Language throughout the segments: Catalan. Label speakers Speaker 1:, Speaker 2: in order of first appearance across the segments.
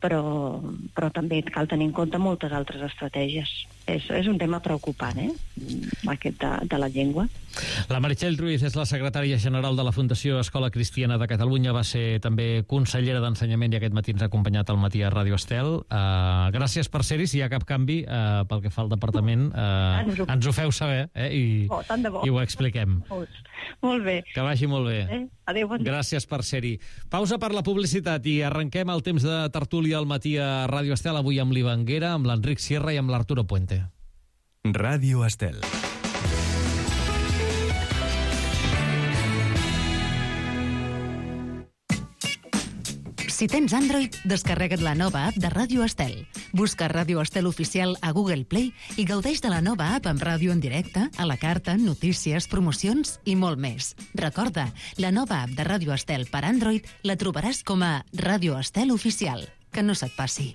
Speaker 1: però també cal tenir en compte moltes altres estratègies. És un tema preocupant, aquest de la llengua.
Speaker 2: La Meritxell Ruiz és la secretària general de la Fundació Escola Cristiana de Catalunya, va ser també consellera d'Ensenyament i aquest matí ens ha acompanyat al matí a Ràdio Estel. Gràcies per ser-hi, si hi ha cap canvi pel que fa al departament, ens ho feu saber i ho expliquem.
Speaker 1: Molt bé.
Speaker 2: Que vagi molt bé.
Speaker 1: Adéu, bon dia.
Speaker 2: Gràcies per ser-hi. Pausa per la publicitat i arrenquem el temps de tertúlia al matí a Ràdio Estel, avui amb l'Ivanguera, amb l'Enric Sierra i amb l'Arturo Puente.
Speaker 3: Ràdio Estel.
Speaker 4: Si tens Android, descarrega't la nova app de Ràdio Estel. Busca Ràdio Estel Oficial a Google Play i gaudeix de la nova app amb ràdio en directe, a la carta, notícies, promocions i molt més. Recorda, la nova app de Ràdio Estel per Android la trobaràs com a Ràdio Estel Oficial. Que no se't passi.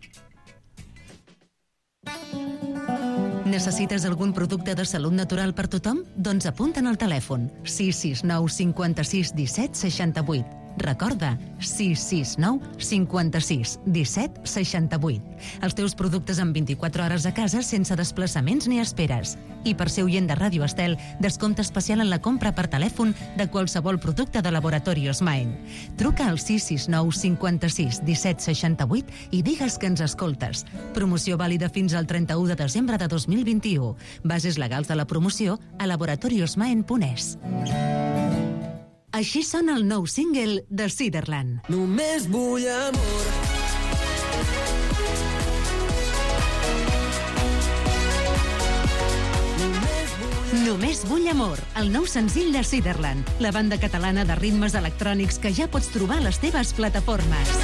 Speaker 4: Necessites algun producte de salut natural per tothom? Doncs apunta'n al telèfon 669 56 17 68. Recorda, 669 56 17 68. Els teus productes en 24 hores a casa sense desplaçaments ni esperes. I per ser oient de Ràdio Estel, descompte especial en la compra per telèfon de qualsevol producte de Laboratorios Maen. Truca al 669 56 17 68 i digues que ens escoltes. Promoció vàlida fins al 31 de desembre de 2021. Bases legals de la promoció a laboratoriosmaen.es. Així sona el nou single de Ciderland.
Speaker 5: Només vull amor.
Speaker 4: Només vull amor, el nou senzill de Ciderland, la banda catalana de ritmes electrònics que ja pots trobar a les teves plataformes.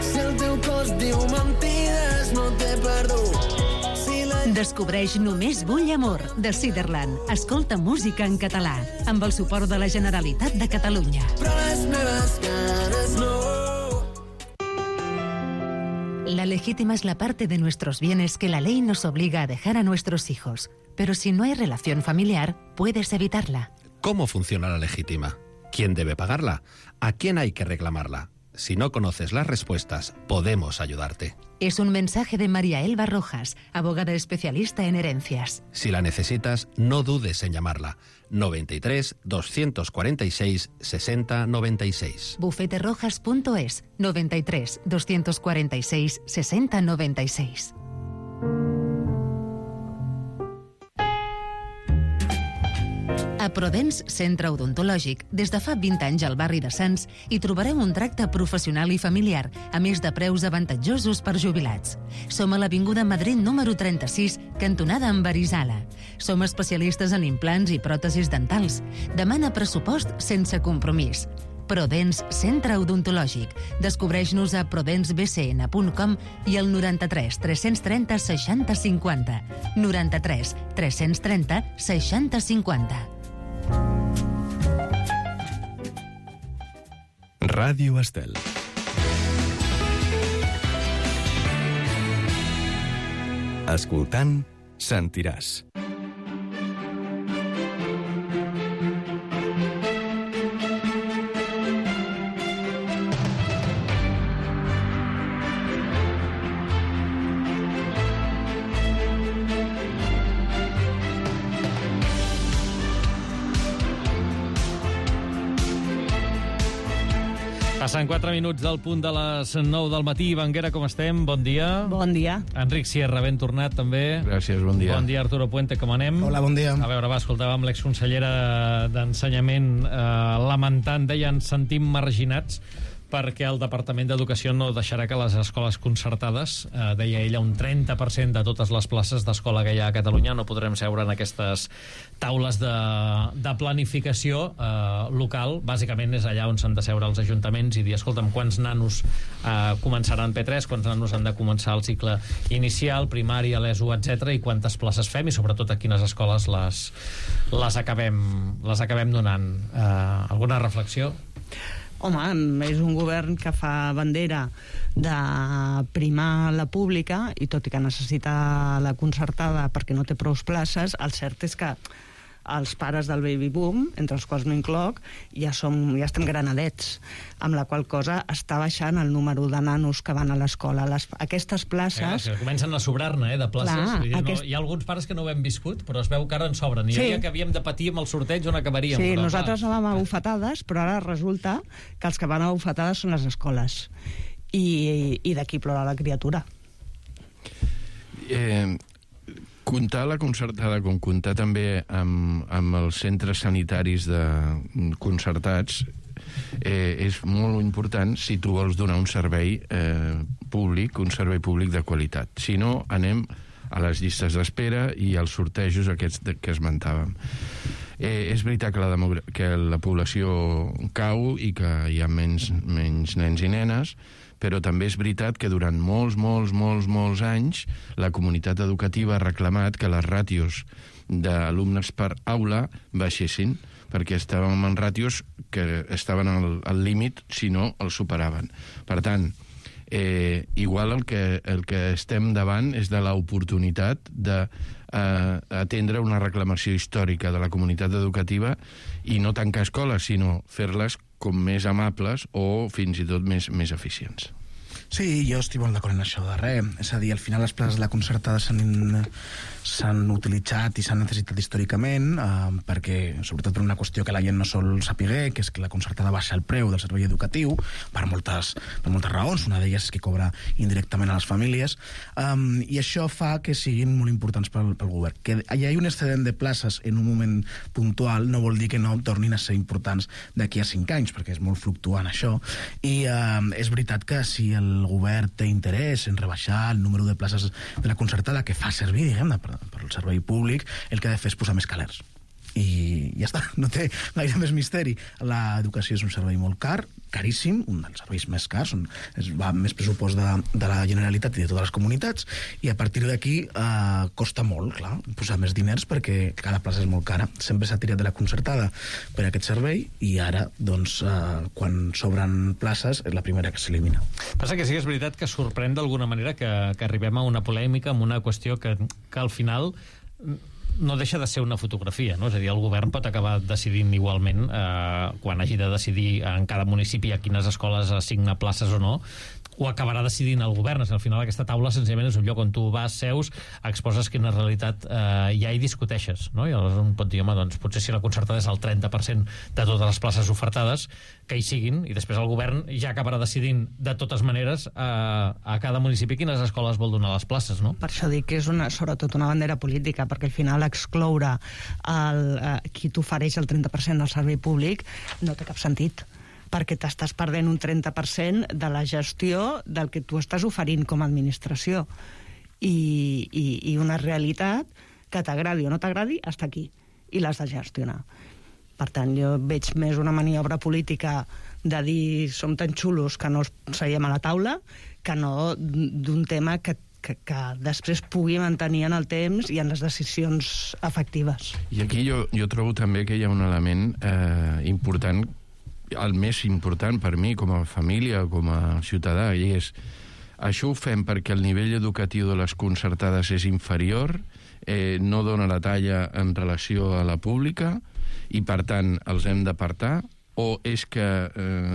Speaker 5: Si el teu cos diu mentides, no t'he perdut.
Speaker 4: Descobreix Només vull amor, de Ciderland. Escolta música en català, amb el suport de la Generalitat de Catalunya.
Speaker 5: Però les meves ganes no.
Speaker 4: La legítima es la parte de nuestros bienes que la ley nos obliga a dejar a nuestros hijos. Pero si no hay relación familiar, puedes evitarla.
Speaker 6: ¿Cómo funciona la legítima? ¿Quién debe pagarla? ¿A quién hay que reclamarla? Si no conoces las respuestas, podemos ayudarte.
Speaker 4: Es un mensaje de María Elba Rojas, abogada especialista en herencias.
Speaker 6: Si la necesitas, no dudes en llamarla. 93 246 60 96.
Speaker 4: Bufeterojas.es 93 246 60 96. A Prodens Centre Odontològic, des de fa 20 anys al barri de Sants, hi trobareu un tracte professional i familiar, a més de preus avantatjosos per jubilats. Som a l'Avinguda Madrid número 36, cantonada amb Arizala. Som especialistes en implants i pròtesis dentals. Demana pressupost sense compromís. Prodens Centre Odontològic. Descobreix-nos a prodensbcn.com i al 93 330 60 50. 93 330 60 50.
Speaker 3: Ràdio Estel. Escoltant, sentiràs.
Speaker 2: Passen 4 minuts del punt de les 9 del matí. Ivanguera, com estem? Bon dia.
Speaker 7: Bon dia.
Speaker 2: Enric Sierra, ben tornat, també.
Speaker 6: Gràcies, bon dia.
Speaker 2: Bon dia, Arturo Puente, com anem?
Speaker 8: Hola, bon dia.
Speaker 2: A veure, escoltàvem l'exconsellera d'Ensenyament lamentant, deia, ens sentim marginats perquè el Departament d'Educació no deixarà que les escoles concertades, deia ella, un 30% de totes les places d'escola que hi ha a Catalunya no podrem seure en aquestes taules de planificació local. Bàsicament és allà on s'han de seure els ajuntaments i dir, escolta'm, quants nanos començaran P3, quants nanos han de començar el cicle inicial, primària, l'ESO, etc, i quantes places fem i sobretot a quines escoles les acabem donant. Alguna reflexió?
Speaker 7: Home, és un govern que fa bandera de primar la pública i tot i que necessita la concertada perquè no té prou places, el cert és que els pares del baby boom, entre els quals m'incloc, ja estem granadets, amb la qual cosa està baixant el número de nanos que van a l'escola. Aquestes places...
Speaker 2: Que comencen a sobrar-ne, de places. Hi ha alguns pares que no ho hem viscut, però es veu que ara en sobren. I hi havia que havíem de patir amb el sorteig on acabaríem.
Speaker 7: Sí, nosaltres anàvem a bufetades, però ara resulta que els que van a bufetades són les escoles. I d'aquí plora la criatura.
Speaker 8: Comptar la concertada com comptar també amb els centres sanitaris concertats és molt important si tu vols donar un servei públic de qualitat. Si no, anem a les llistes d'espera i als sortejos aquests que esmentàvem. És veritat que la població cau i que hi ha menys nens i nenes, però també és veritat que durant molts anys la comunitat educativa ha reclamat que les ràtios d'alumnes per aula baixessin, perquè estàvem en ràtios que estaven al límit si no els superaven. Per tant, igual el que estem davant és de l'oportunitat d'atendre una reclamació històrica de la comunitat educativa i no tancar escoles, sinó fer-les com més amables o fins i tot més eficients.
Speaker 9: Sí, jo estic molt d'acord en això darrer. És a dir, al final les places de la concertada s'han utilitzat i s'han necessitat històricament perquè, sobretot per una qüestió que la gent no sol saber, que és que la concertada baixa el preu del servei educatiu per moltes raons. Una d'elles és que cobra indirectament a les famílies i això fa que siguin molt importants pel govern. Que hi hagi un excedent de places en un moment puntual no vol dir que no tornin a ser importants d'aquí a 5 anys, perquè és molt fluctuant això. I és veritat que si el govern té interès en rebaixar el número de places de la concertada que fa servir, diguem-ne, per al servei públic, el que ha de fer és posar més calers. I ja està, no té gaire més misteri. L'educació és un servei molt car, caríssim, un dels serveis més cars, va més pressupost de la Generalitat i de totes les comunitats, i a partir d'aquí costa molt, clar, posar més diners perquè cada plaça és molt cara. Sempre s'ha tirat de la concertada per aquest servei i ara, doncs, quan sobren places, és la primera que s'elimina.
Speaker 2: Passa que sí que és veritat que sorprèn d'alguna manera que arribem a una polèmica amb una qüestió que al final no deixa de ser una fotografia, no? És a dir, el govern pot acabar decidint igualment quan hagi de decidir en cada municipi a quines escoles assigna places o no, ho acabarà decidint el govern. Al final aquesta taula senzillament és un lloc on tu vas, seus, exposes quina realitat hi ha i discuteixes, no? I aleshores un pot dir, home, doncs potser si la concertada és el 30% de totes les places ofertades, que hi siguin, i després el govern ja acabarà decidint de totes maneres a cada municipi quines escoles vol donar les places, no?
Speaker 7: Per això dic que és sobretot una bandera política, perquè al final excloure qui t'ofereix el 30% del servei públic no té cap sentit, perquè t'estàs perdent un 30% de la gestió del que tu estàs oferint com a administració. I una realitat que t'agradi o no t'agradi està aquí, i l'has de gestionar. Per tant, jo veig més una maniobra política de dir som tan xulos que no seiem a la taula, que no d'un tema que després pugui mantenir en el temps i en les decisions efectives.
Speaker 8: I aquí jo trobo també que hi ha un element important, el més important per mi com a família, com a ciutadà, i és això ho fem perquè el nivell educatiu de les concertades és inferior, no dona la talla en relació a la pública i per tant els hem d'apartar, o és que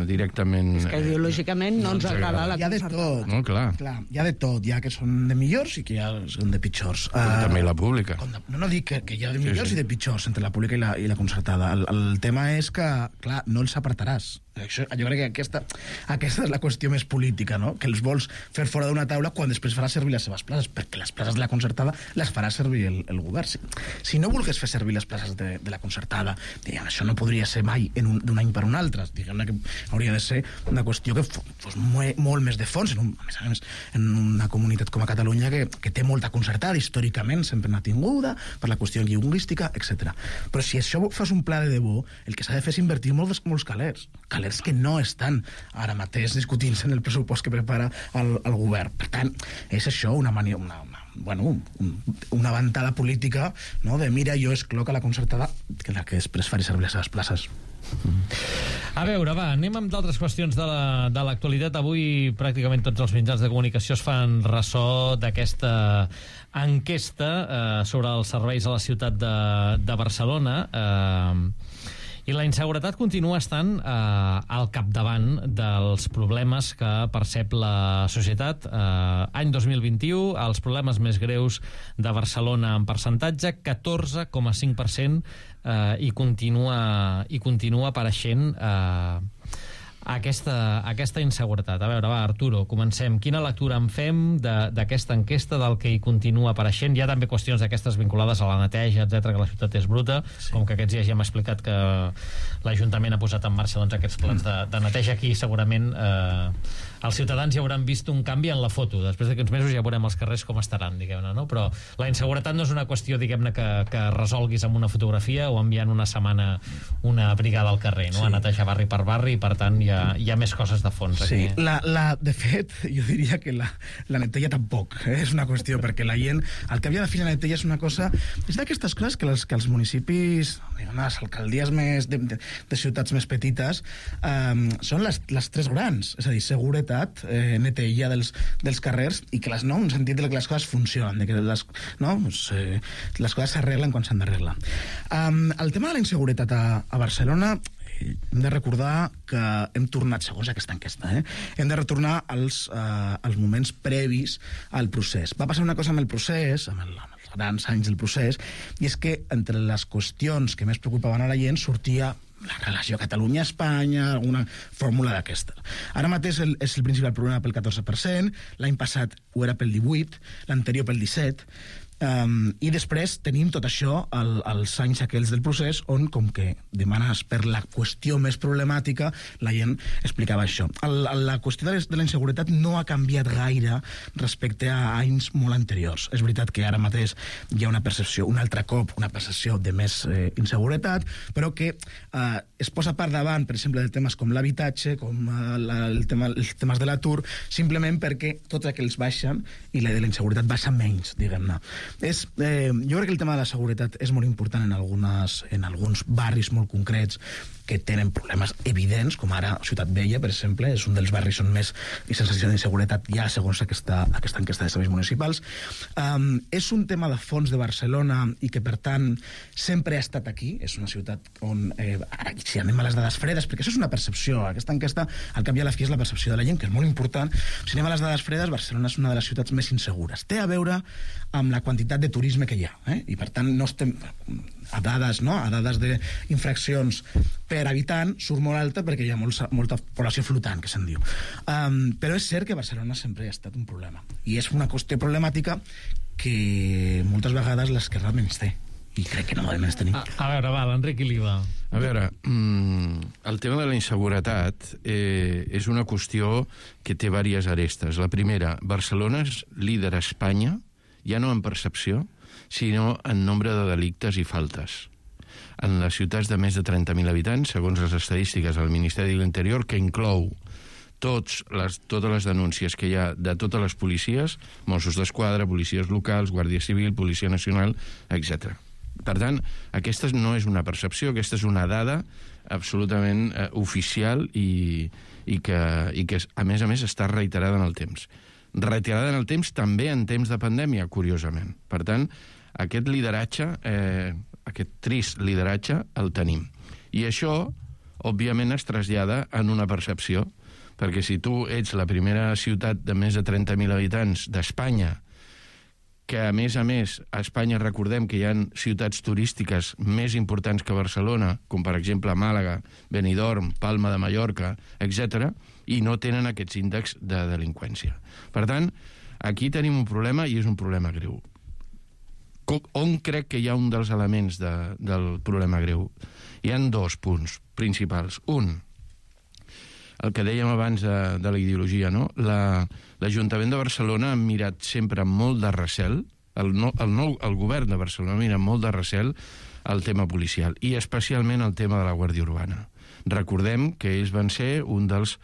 Speaker 8: directament...
Speaker 7: És que ideològicament no ens agrada la concertada.
Speaker 9: Hi ha de tot.
Speaker 8: No, clar.
Speaker 9: Hi ha de tot. Hi ha que són de millors i que hi ha són de pitjors.
Speaker 8: També la pública.
Speaker 9: No dic que hi ha de millors i de pitjors entre la pública i la concertada. El tema és que, clar, no els apartaràs. Jo crec que aquesta és la qüestió més política, no? Que els vols fer fora d'una taula quan després farà servir les seves places, perquè les places de la concertada les farà servir el govern. Si no volgués fer servir les places de la concertada, diguem, això no podria ser mai d'un any per un altre. Diguem que hauria de ser una qüestió que fos molt més de fons, a més a més, en una comunitat com a Catalunya que té molta concertada, històricament sempre n'ha tinguda, per la qüestió lingüística, etc. Però si això fas un pla de debò, el que s'ha de fer és invertir molts calers que no estan ara mateix discutint-se en el pressupost que prepara el govern. Per tant, és això una ventada política, no? De mira, jo excloc a la concertada que la que després faré servir les seves places.
Speaker 2: A veure, va, anem amb d'altres qüestions de l'actualitat. Avui pràcticament tots els mitjans de comunicació es fan ressò d'aquesta enquesta sobre els serveis a la ciutat de Barcelona. I la inseguretat continua estant al capdavant dels problemes que percep la societat. Any 2021, els problemes més greus de Barcelona en percentatge, 14,5%, i continua apareixent aquesta inseguretat. A veure, va, Arturo, comencem. Quina lectura en fem d'aquesta enquesta, del que hi continua apareixent? Hi ha també qüestions d'aquestes vinculades a la neteja, etc, que la ciutat és bruta, com que aquests dies ja hem explicat que l'Ajuntament ha posat en marxa aquests plans de neteja. Aquí segurament els ciutadans ja hauran vist un canvi en la foto. Després d'aquí uns mesos ja veurem els carrers com estaran, diguem-ne, no? Però la inseguretat no és una qüestió, diguem-ne, que resolguis amb una fotografia o enviant una setmana una brigada al carrer, no? A netejar barri per barri, i per tant hi ha més coses de fons.
Speaker 9: Sí, de fet, jo diria que la neteja tampoc, és una qüestió, perquè la gent, el que havia de fer la neteja és una cosa, és d'aquestes coses que els municipis, les alcaldies de ciutats més petites, són les tres grans, és a dir, seguretat, neteja dels carrers, i que un sentit de que les coses funcionen, de que les coses s'arreglen quan s'han d'arreglar. El tema de la inseguretat a Barcelona, hem de recordar que hem tornat, segons aquesta enquesta, hem de retornar als moments previs al procés. Va passar una cosa amb el procés, amb els grans anys del procés, i és que entre les qüestions que més preocupaven a la gent sortia la relació Catalunya-Espanya, alguna fórmula d'aquesta. Ara mateix és el principal problema pel 14%, l'any passat ho era pel 18%, l'anterior pel 17%, i després tenim tot això als anys aquells del procés on, com que demanes per la qüestió més problemàtica, la gent explicava això. La qüestió de la inseguretat no ha canviat gaire respecte a anys molt anteriors. És veritat que ara mateix hi ha una percepció, un altre cop, una percepció de més inseguretat, però que es posa per davant, per exemple, de temes com l'habitatge, com els temes de l'atur, simplement perquè tots aquells baixen i la de la inseguretat baixa menys, diguem-ne. Jo crec que el tema de la seguretat és molt important en alguns barris molt concrets que tenen problemes evidents, com ara Ciutat Vella, per exemple, és un dels barris on més sensació d'inseguretat hi ha, segons aquesta enquesta de serveis municipals. És un tema de fons de Barcelona i que, per tant, sempre ha estat aquí. És una ciutat on, si anem a les dades fredes, perquè això és una percepció, aquesta enquesta, al cap i a la fi, és la percepció de la gent, que és molt important. Si anem a les dades fredes, Barcelona és una de les ciutats més insegures. Té a veure amb la quantitat de turisme que hi ha, i per tant no estem a dades d'infraccions per habitant surt molt alta perquè hi ha molta població flotant, que se'n diu. Però és cert que Barcelona sempre ha estat un problema, i és una qüestió problemàtica que moltes vegades l'esquerra menys té, i crec que no la menys tenim.
Speaker 2: A veure, va, l'Enric Iliva.
Speaker 8: A veure, el tema de la inseguretat és una qüestió que té diverses arestes. La primera, Barcelona és líder a Espanya, ja no en percepció, sinó en nombre de delictes i faltes. En les ciutats de més de 30.000 habitants, segons les estadístiques del Ministeri de l'Interior, que inclou totes les denúncies que hi ha de totes les policies, Mossos d'Esquadra, policies locals, Guàrdia Civil, Policia Nacional, etc. Per tant, aquesta no és una percepció, aquesta és una dada absolutament oficial i que, a més, està reiterada en el temps. Reiterada en el temps també en temps de pandèmia, curiosament. Per tant, aquest lideratge, aquest trist lideratge, el tenim. I això, òbviament, es trasllada en una percepció, perquè si tu ets la primera ciutat de més de 30.000 habitants d'Espanya, que a més, a Espanya recordem que hi ha ciutats turístiques més importants que Barcelona, com per exemple Màlaga, Benidorm, Palma de Mallorca, etc., i no tenen aquests índexs de delinqüència. Per tant, aquí tenim un problema, i és un problema greu. On crec que hi ha un dels elements del problema greu? Hi ha dos punts principals. Un, el que dèiem abans de la ideologia, no? L'Ajuntament de Barcelona ha mirat sempre amb molt de recel, el govern de Barcelona mira amb molt de recel el tema policial, i especialment el tema de la Guàrdia Urbana. Recordem que ells van ser un dels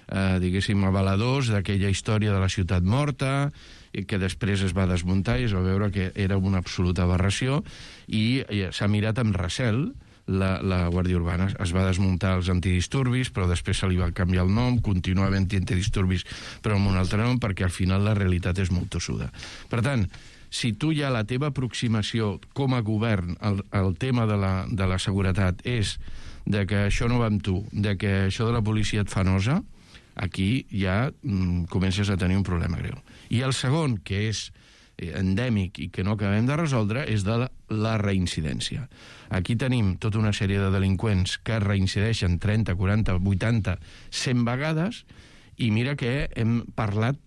Speaker 8: avaladors d'aquella història de la ciutat morta, i que després es va desmuntar i es va veure que era una absoluta aberració, i s'ha mirat amb recel la Guàrdia Urbana. Es va desmuntar els antidisturbis, però després se li va canviar el nom, continua havent antidisturbis, però amb un altre nom, perquè al final la realitat és molt tossuda. Per tant, si tu ja la teva aproximació com a govern al tema de la seguretat és de que això no va amb tu, de que això de la policia et fa nosa, aquí ja comences a tenir un problema greu. I el segon, que és endèmic i que no acabem de resoldre, és de la reincidència. Aquí tenim tota una sèrie de delinqüents que reincideixen 30, 40, 80, 100 vegades, i mira que hem parlat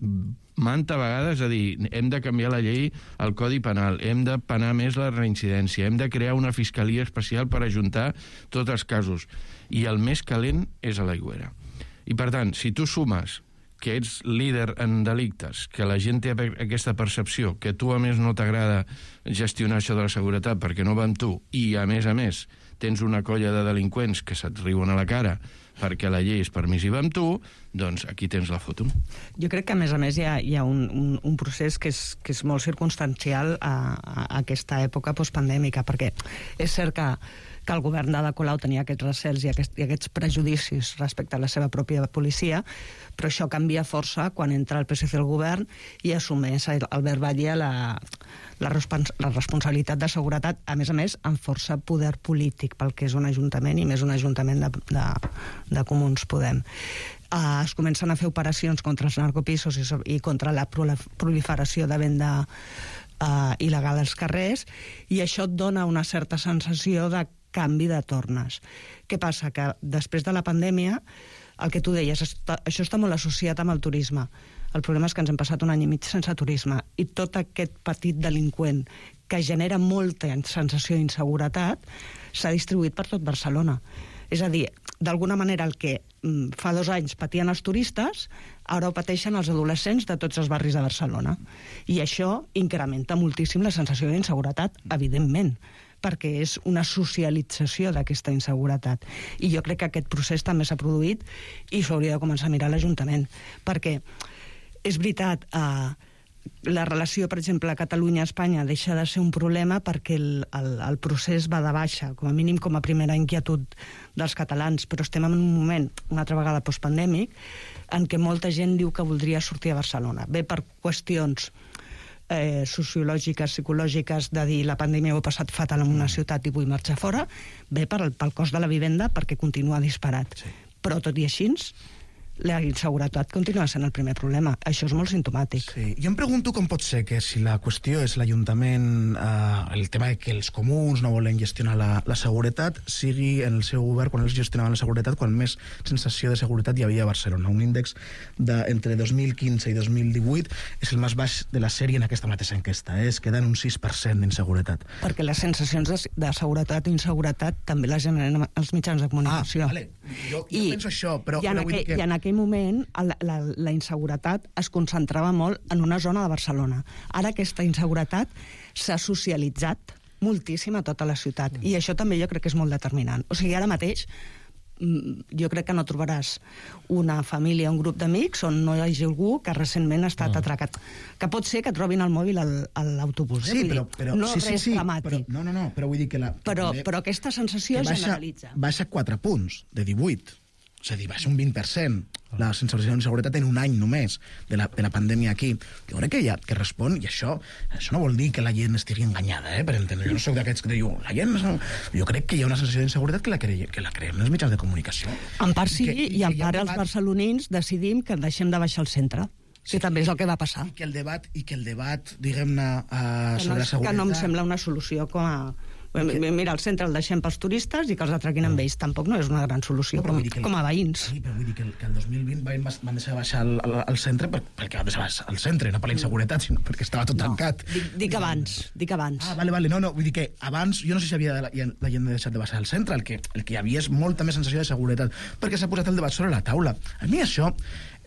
Speaker 8: manta vegades, a dir, hem de canviar la llei, el Codi Penal, hem de penar més la reincidència, hem de crear una fiscalia especial per ajuntar tots els casos. I el més calent és a l'Aigüera. I per tant, si tu sumes que ets líder en delictes, que la gent té aquesta percepció, que tu a més no t'agrada gestionar això de la seguretat perquè no va amb tu, i a més tens una colla de delinqüents que se't riuen a la cara perquè la llei és permissiva amb tu, doncs aquí tens la foto.
Speaker 7: Jo crec que, a més hi ha un procés que és molt circumstancial a aquesta època postpandèmica, perquè és cert que el govern d'Ada Colau tenia aquests recels i aquests prejudicis respecte a la seva pròpia policia, però això canvia força quan entra el PSC al govern i assumeix Albert Batlle la responsabilitat de seguretat, a més, amb força poder polític pel que és un ajuntament, i més un ajuntament de Comuns Podem. Es comencen a fer operacions contra els narcopisos i contra la proliferació de venda il·legal als carrers, i això et dona una certa sensació de canvi de tornes. Què passa? Que després de la pandèmia, el que tu deies, això està molt associat amb el turisme. El problema és que ens hem passat un any i mig sense turisme, i tot aquest petit delinqüent que genera molta sensació d'inseguretat s'ha distribuït per tot Barcelona. És a dir, d'alguna manera el que fa 2 anys patien els turistes, ara ho pateixen els adolescents de tots els barris de Barcelona. I això incrementa moltíssim la sensació d'inseguretat, evidentment, perquè és una socialització d'aquesta inseguretat. I jo crec que aquest procés també s'ha produït i s'ho hauria de començar a mirar l'Ajuntament. Perquè és veritat, la relació, per exemple, Catalunya-Espanya deixa de ser un problema perquè el procés va de baixa, com a mínim com a primera inquietud dels catalans, però estem en un moment, una altra vegada postpandèmic, en què molta gent diu que voldria sortir a Barcelona. Bé per qüestions sociològiques, psicològiques, de dir la pandèmia ho he passat fatal en una ciutat i vull marxar fora, bé pel cost de la vivenda, perquè continua disparat. Sí. Però tot i així, la inseguretat continua sent el primer problema. Això és molt simptomàtic.
Speaker 9: Sí. Jo em pregunto com pot ser que si la qüestió és l'Ajuntament, el tema de que els comuns no volen gestionar la seguretat, sigui en el seu govern, quan ells gestionaven la seguretat, quan més sensació de seguretat hi havia a Barcelona. Un índex entre 2015 i 2018 és el més baix de la sèrie en aquesta mateixa enquesta. Es queda en un 6% d'inseguretat.
Speaker 7: Perquè les sensacions de seguretat o inseguretat també les generen els mitjans de comunicació.
Speaker 9: Vale. Jo penso això, però vull dir que...
Speaker 7: I en aquell moment la inseguretat es concentrava molt en una zona de Barcelona. Ara aquesta inseguretat s'ha socialitzat moltíssim a tota la ciutat, i això també jo crec que és molt determinant. O sigui, ara mateix jo crec que no trobaràs una família, un grup d'amics on no hi hagi algú que recentment ha estat atracat. Que pot ser que trobin el mòbil a l'autobús.
Speaker 9: Sí, però
Speaker 7: no res dramàtic.
Speaker 9: Però vull dir que
Speaker 7: però aquesta sensació generalitza.
Speaker 9: Baixa 4 punts de 18. És a dir, baixa un 20% la sensació d'inseguretat en un any només de la pandèmia aquí. Jo crec que respon, i això no vol dir que la gent estigui enganyada, per entendre. Jo no soc d'aquests que diu, la gent... Jo crec que hi ha una sensació d'inseguretat que la creem els mitjans de comunicació.
Speaker 7: En part sí, i en part els barcelonins decidim que deixem de baixar al centre, que també és el que va passar.
Speaker 9: I que el debat, diguem-ne, sobre la seguretat...
Speaker 7: Que no em sembla una solució com a... Mira, el centre el deixem pels turistes i que els atraquin amb ells. Tampoc no és una gran solució, com a veïns.
Speaker 9: Sí, però vull dir que el 2020 van deixar de baixar al centre perquè van deixar al centre, no per la inseguretat, sinó perquè estava tot tancat.
Speaker 7: Dic abans.
Speaker 9: Vale, no, vull dir que abans, jo no sé si la gent ha deixat de baixar al centre, el que hi havia és molta més sensació de seguretat, perquè s'ha posat el debat sobre la taula. A mi això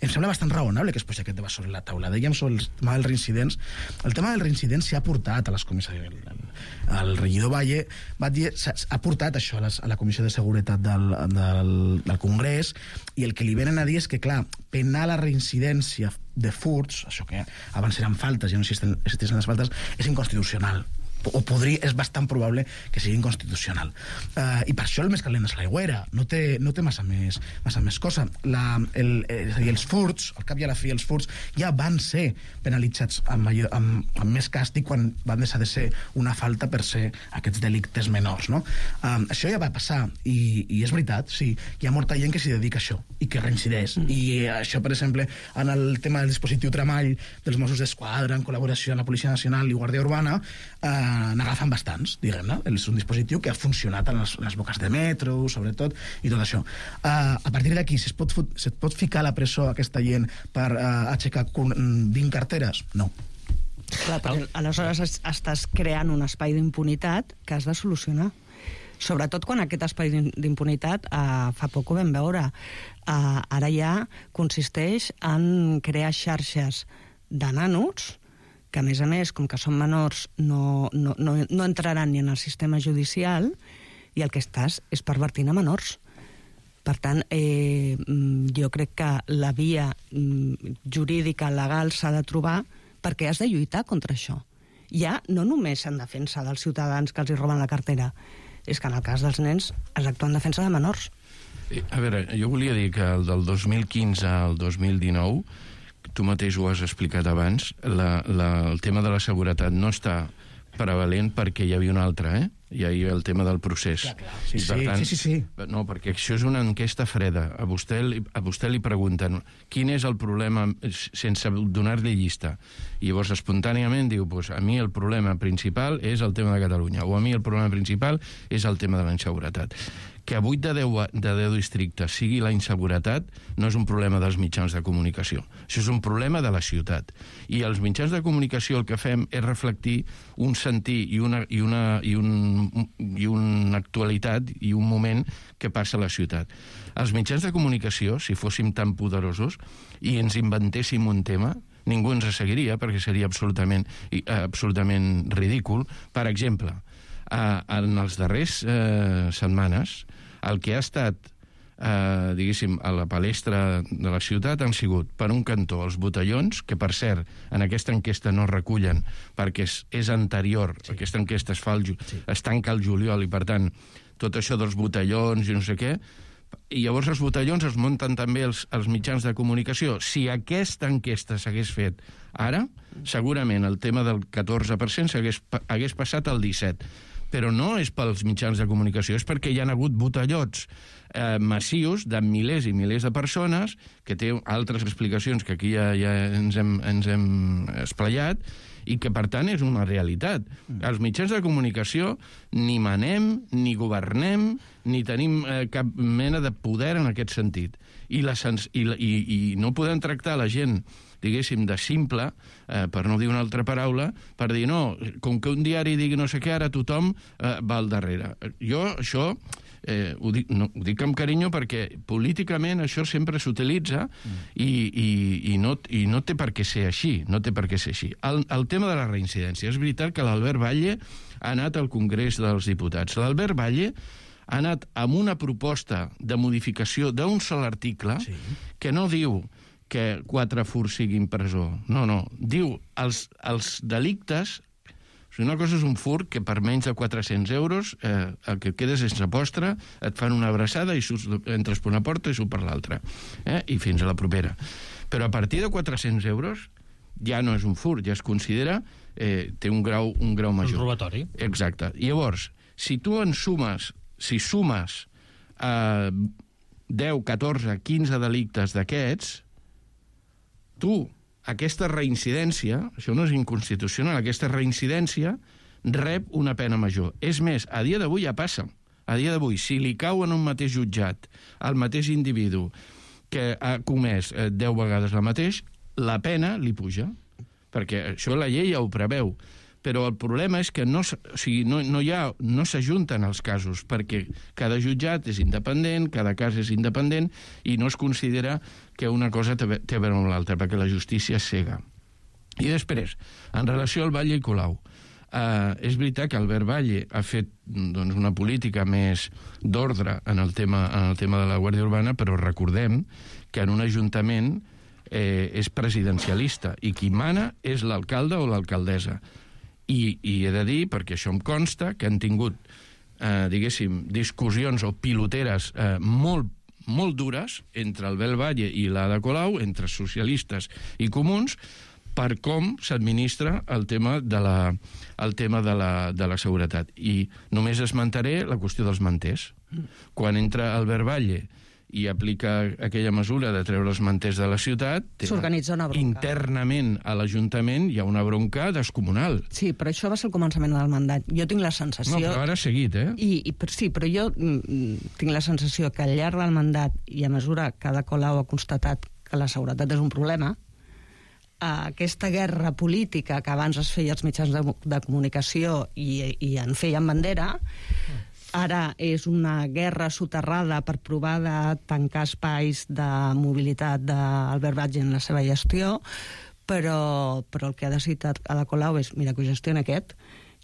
Speaker 9: em sembla bastant raonable que es posi aquest debat sobre la taula. Dèiem sobre el tema dels reincidents. El tema dels reincidents s'ha portat a les comissaries. El regidor Batlle ha portat això a la Comissió de Seguretat del Congrés, i el que li venen a dir és que, clar, penar la reincidència de furts, això que abans eren faltes, ja no existeixen les faltes, és inconstitucional. és bastant probable que sigui inconstitucional. I per això el més calent és l'aigüera, no té massa més cosa. És a dir, els furts, al cap i a la fi, els furts ja van ser penalitzats amb més càstig quan van deixar de ser una falta per ser aquests delictes menors, no? Això ja va passar, i és veritat, sí, hi ha molta gent que s'hi dedica a això i que reincideix. I això, per exemple, en el tema del dispositiu Tramall dels Mossos d'Esquadra, en col·laboració amb la Policia Nacional i Guàrdia Urbana, n'agafen bastants, diguem-ne. És un dispositiu que ha funcionat en les boques de metro, sobretot, i tot això. A partir d'aquí, se't pot ficar a la presó aquesta gent per aixecar 20 carteres? No.
Speaker 7: Clar, perquè aleshores estàs creant un espai d'impunitat que has de solucionar. Sobretot quan aquest espai d'impunitat, fa poc ho vam veure, ara ja consisteix en crear xarxes de nanos que, a més, com que són menors, no entraran ni en el sistema judicial, i el que estàs és pervertint a menors. Per tant, jo crec que la via jurídica, legal, s'ha de trobar, perquè has de lluitar contra això. Ja no només en defensa dels ciutadans que els hi roben la cartera, és que en el cas dels nens es actua en defensa de menors.
Speaker 8: A veure, jo volia dir que del 2015 al 2019, tu mateix ho has explicat abans, el tema de la seguretat no està prevalent perquè hi havia un altre, Hi havia el tema del procés.
Speaker 9: Clar. Sí.
Speaker 8: No, perquè això és una enquesta freda. A vostè li pregunten quin és el problema sense donar-li llista. I llavors espontàniament diu, a mi el problema principal és el tema de Catalunya, o a mi el problema principal és el tema de la inseguretat. Que a 8 de 10 districtes sigui la inseguretat no és un problema dels mitjans de comunicació. Això és un problema de la ciutat. I els mitjans de comunicació el que fem és reflectir un sentir i una actualitat i un moment que passa a la ciutat. Els mitjans de comunicació, si fóssim tan poderosos i ens inventéssim un tema, ningú ens seguiria perquè seria absolutament ridícul. Per exemple, en els darrers setmanes, el que ha estat, diguéssim, a la palestra de la ciutat han sigut, per un cantó, els botellons, que, per cert, en aquesta enquesta no recullen, perquè és anterior, aquesta enquesta es tanca al juliol, i, per tant, tot això dels botellons i no sé què, i llavors els botellons es munten també els mitjans de comunicació. Si aquesta enquesta s'hagués fet ara, segurament el tema del 14% hagués passat al 17%. Però no és pels mitjans de comunicació, és perquè hi ha hagut botellots massius de milers i milers de persones, que té altres explicacions que aquí ja ens hem esplayat, i que, per tant, és una realitat. Els mitjans de comunicació ni manem, ni governem, ni tenim cap mena de poder en aquest sentit. I no podem tractar la gent, diguéssim, de simple, per no dir una altra paraula, per dir, no, com que un diari digui no sé què, ara tothom va al darrere. Jo això ho dic amb carinyo perquè políticament això sempre s'utilitza i no té per què ser així. El tema de la reincidència. És veritat que l'Albert Batlle ha anat al Congrés dels Diputats. L'Albert Batlle ha anat amb una proposta de modificació d'un sol article que no diu que 4 furts siguin presó. No. Diu els delictes. Una cosa és un furt que per menys de 400 euros el que quedes sense postre, et fan una abraçada i entres per una porta i surts per l'altra. I fins a la propera. Però a partir de 400 euros ja no és un furt, ja es considera té un grau major.
Speaker 2: Un robatori.
Speaker 8: Exacte. I llavors, si sumes 10, 14, 15 delictes d'aquests, aquesta reincidència, això no és inconstitucional, aquesta reincidència rep una pena major. És més, a dia d'avui ja passa. A dia d'avui, si li cau en un mateix jutjat al mateix individu que ha comès 10 vegades el mateix, la pena li puja, perquè això la llei ja ho preveu. Però el problema és que no s'ajunten els casos, perquè cada jutjat és independent, cada cas és independent, i no es considera que una cosa té a veure amb l'altra, perquè la justícia és cega. I després, en relació al Batlle i Colau, és veritat que Albert Batlle ha fet una política més d'ordre en el tema de la Guàrdia Urbana, però recordem que en un ajuntament és presidencialista, i qui mana és l'alcalde o l'alcaldessa. I he de dir, perquè això em consta, que han tingut, diguéssim, discussions o piloteres molt dures entre Albert Valle i l'Ada Colau, entre socialistes i comuns, per com s'administra el tema de la seguretat. I només esmentaré la qüestió dels manters. Quan entra Albert Valle i aplica aquella mesura de treure els manters de la ciutat,
Speaker 7: s'organitza una bronca.
Speaker 8: Internament a l'Ajuntament hi ha una bronca descomunal.
Speaker 7: Sí, però això va ser el començament del mandat. Jo tinc la sensació...
Speaker 8: No, però ara ha seguit, eh?
Speaker 7: Sí, però jo tinc la sensació que al llarg del mandat, i a mesura que Ada Colau ha constatat que la seguretat és un problema, aquesta guerra política que abans es feia als mitjans de comunicació i en feien bandera, ara és una guerra soterrada per provar de tancar espais de mobilitat d'Albert Valle en la seva gestió, però el que ha decidit Ada Colau és, mira, que ho gestiona aquest.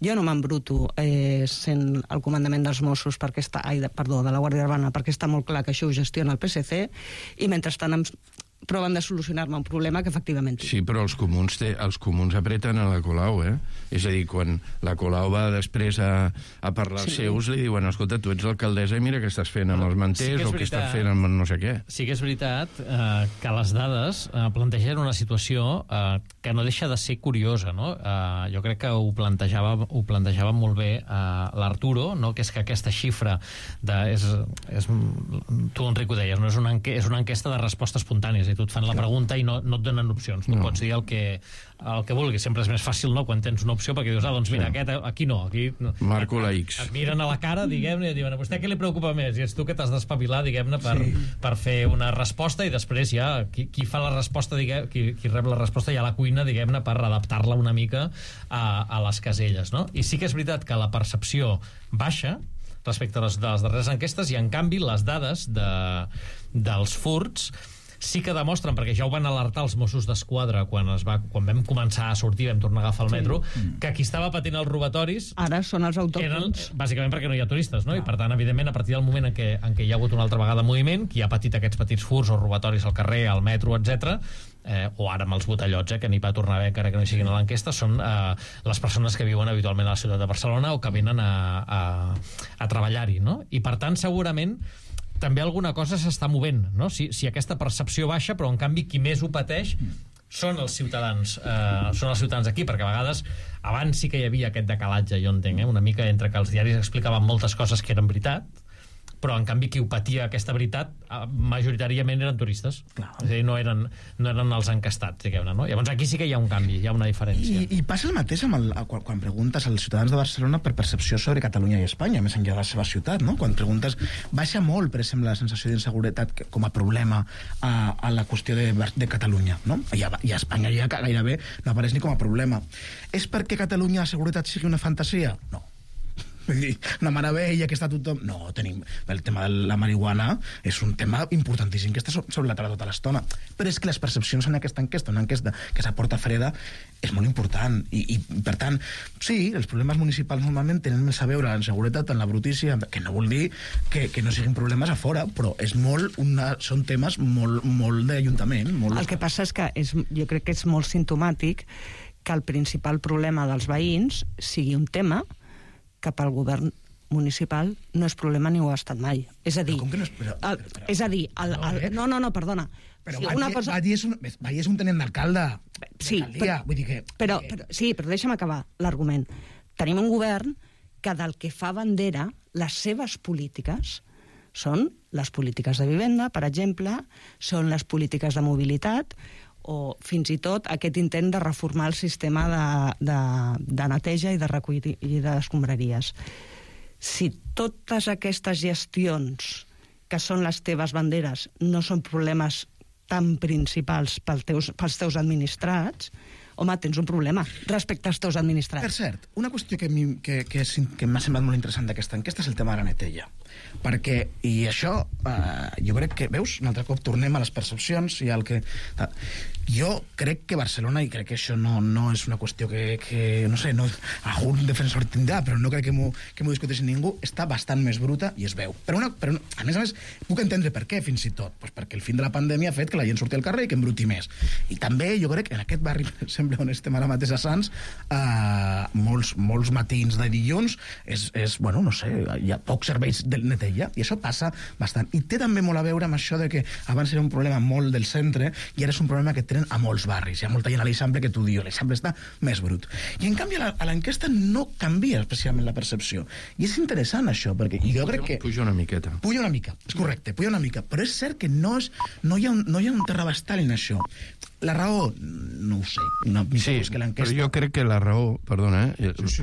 Speaker 7: Jo no m'embruto sent el comandament dels Mossos de la Guàrdia Urbana, perquè està molt clar que això ho gestiona el PSC, i mentrestant proven de solucionar-me un problema que efectivament tinc.
Speaker 8: Sí, però els comuns apreten a la Colau, eh? És a dir, quan la Colau va després a parlar als seus, li diuen, escolta, tu ets l'alcaldessa i mira què estàs fent amb els manters o què estàs fent amb no sé què.
Speaker 2: Sí que és veritat que les dades plantegen una situació que no deixa de ser curiosa, no? Jo crec que ho plantejava molt bé l'Arturo, no? Que és que aquesta xifra tu, Enric, ho deies, no? És una enquesta de resposta espontània, tu et fan la pregunta i no et donen opcions. Tu pots dir el que vulguis. Sempre és més fàcil, no?, quan tens una opció, perquè dius, doncs mira, aquí no.
Speaker 8: Marco la X.
Speaker 2: Et miren a la cara, diguem-ne, i diuen, a vostè què li preocupa més? I ets tu que t'has d'espavilar, diguem-ne, per fer una resposta, i després ja qui fa la resposta, qui rep la resposta ja a la cuina, diguem-ne, per adaptar-la una mica a les caselles, no? I sí que és veritat que la percepció baixa respecte a les darreres enquestes, i en canvi les dades dels furts sí que demostren, perquè ja ho van alertar els Mossos d'Esquadra quan vam començar a sortir, vam tornar a agafar el metro, que qui estava patint els robatoris
Speaker 7: ara són els autòctons,
Speaker 2: bàsicament perquè no hi ha turistes, no? I per tant, evidentment, a partir del moment en què hi ha hagut una altra vegada moviment, qui ha patit aquests petits furts o robatoris al carrer, al metro, etc., o ara amb els botellots, que n'hi va tornar a haver encara que no hi siguin a l'enquesta, són les persones que viuen habitualment a la ciutat de Barcelona o que venen a treballar-hi, no? I per tant, segurament també alguna cosa s'està movent, no? Si aquesta percepció baixa, però en canvi qui més ho pateix són els ciutadans aquí, perquè a vegades abans sí que hi havia aquest decalatge, jo entenc, una mica entre que els diaris explicaven moltes coses que eren veritat, però en canvi qui ho patia aquesta veritat majoritàriament eren turistes. Clar. És a dir, no eren els encastats, diguem-ne, no? Llavors aquí sí que hi ha un canvi, hi ha una diferència.
Speaker 9: I passa el mateix quan preguntes als ciutadans de Barcelona per percepció sobre Catalunya i Espanya, més enllà de la seva ciutat, no? Quan preguntes, baixa molt, per exemple, la sensació d'inseguretat com a problema a la qüestió de Catalunya, no? I a Espanya ja gairebé no apareix ni com a problema. És perquè a Catalunya la seguretat sigui una fantasia? No. Una meravella que està tothom... No, tenim... El tema de la marihuana és un tema importantíssim que està sobre la taula tota l'estona. Però és que les percepcions en aquesta enquesta, una enquesta que s'aporta freda, és molt important. I per tant, sí, els problemes municipals normalment tenen més a veure amb seguretat, amb la brutícia, que no vol dir que no siguin problemes a fora, però és són temes molt d'Ajuntament.
Speaker 7: El que passa és que jo crec que és molt simptomàtic que el principal problema dels veïns sigui un tema que pel govern municipal no és problema ni ho ha estat mai. És a dir... No, perdona.
Speaker 9: Però Valle és un tenent d'alcalde.
Speaker 7: Sí, però deixa'm acabar l'argument. Tenim un govern que del que fa bandera, les seves polítiques són les polítiques de vivenda, per exemple, són les polítiques de mobilitat, o fins i tot aquest intent de reformar el sistema de neteja i de recollida d'escombraries. Si totes aquestes gestions que són les teves banderes no són problemes tan principals pels teus administrats, home, tens un problema respecte als teus administrats.
Speaker 9: Per cert, una qüestió que m'ha semblat molt interessant d'aquesta enquesta és el tema de la neteja. Perquè, i això, jo crec que, veus, un altre cop tornem a les percepcions i al que... Jo crec que Barcelona, i crec que això no és una qüestió que no sé, algun defensor tindrà, però no crec que m'ho discuteixi ningú, està bastant més bruta i es veu. Però a més, puc entendre per què, fins i tot. Pues perquè el fin de la pandèmia ha fet que la gent surti al carrer i que embruti més. I també jo crec que en aquest barri, per exemple, on estem ara mateix a Sants, molts matins de dilluns bueno, no sé, hi ha pocs serveis de neteja, i això passa bastant. I té també molt a veure amb això de que abans era un problema molt del centre i ara és un problema que tenen a molts barris. Hi ha molta gent a l'Eixample que t'ho diu, l'Eixample està més brut. I en canvi a l'enquesta no canvia especialment la percepció. I és interessant això, perquè jo crec que...
Speaker 8: Puja una miqueta.
Speaker 9: Puja una mica, és correcte, puja una mica. Però és cert que no hi ha un terrabastall en això. La raó, no ho sé.
Speaker 8: Sí, però jo crec que la raó, perdona,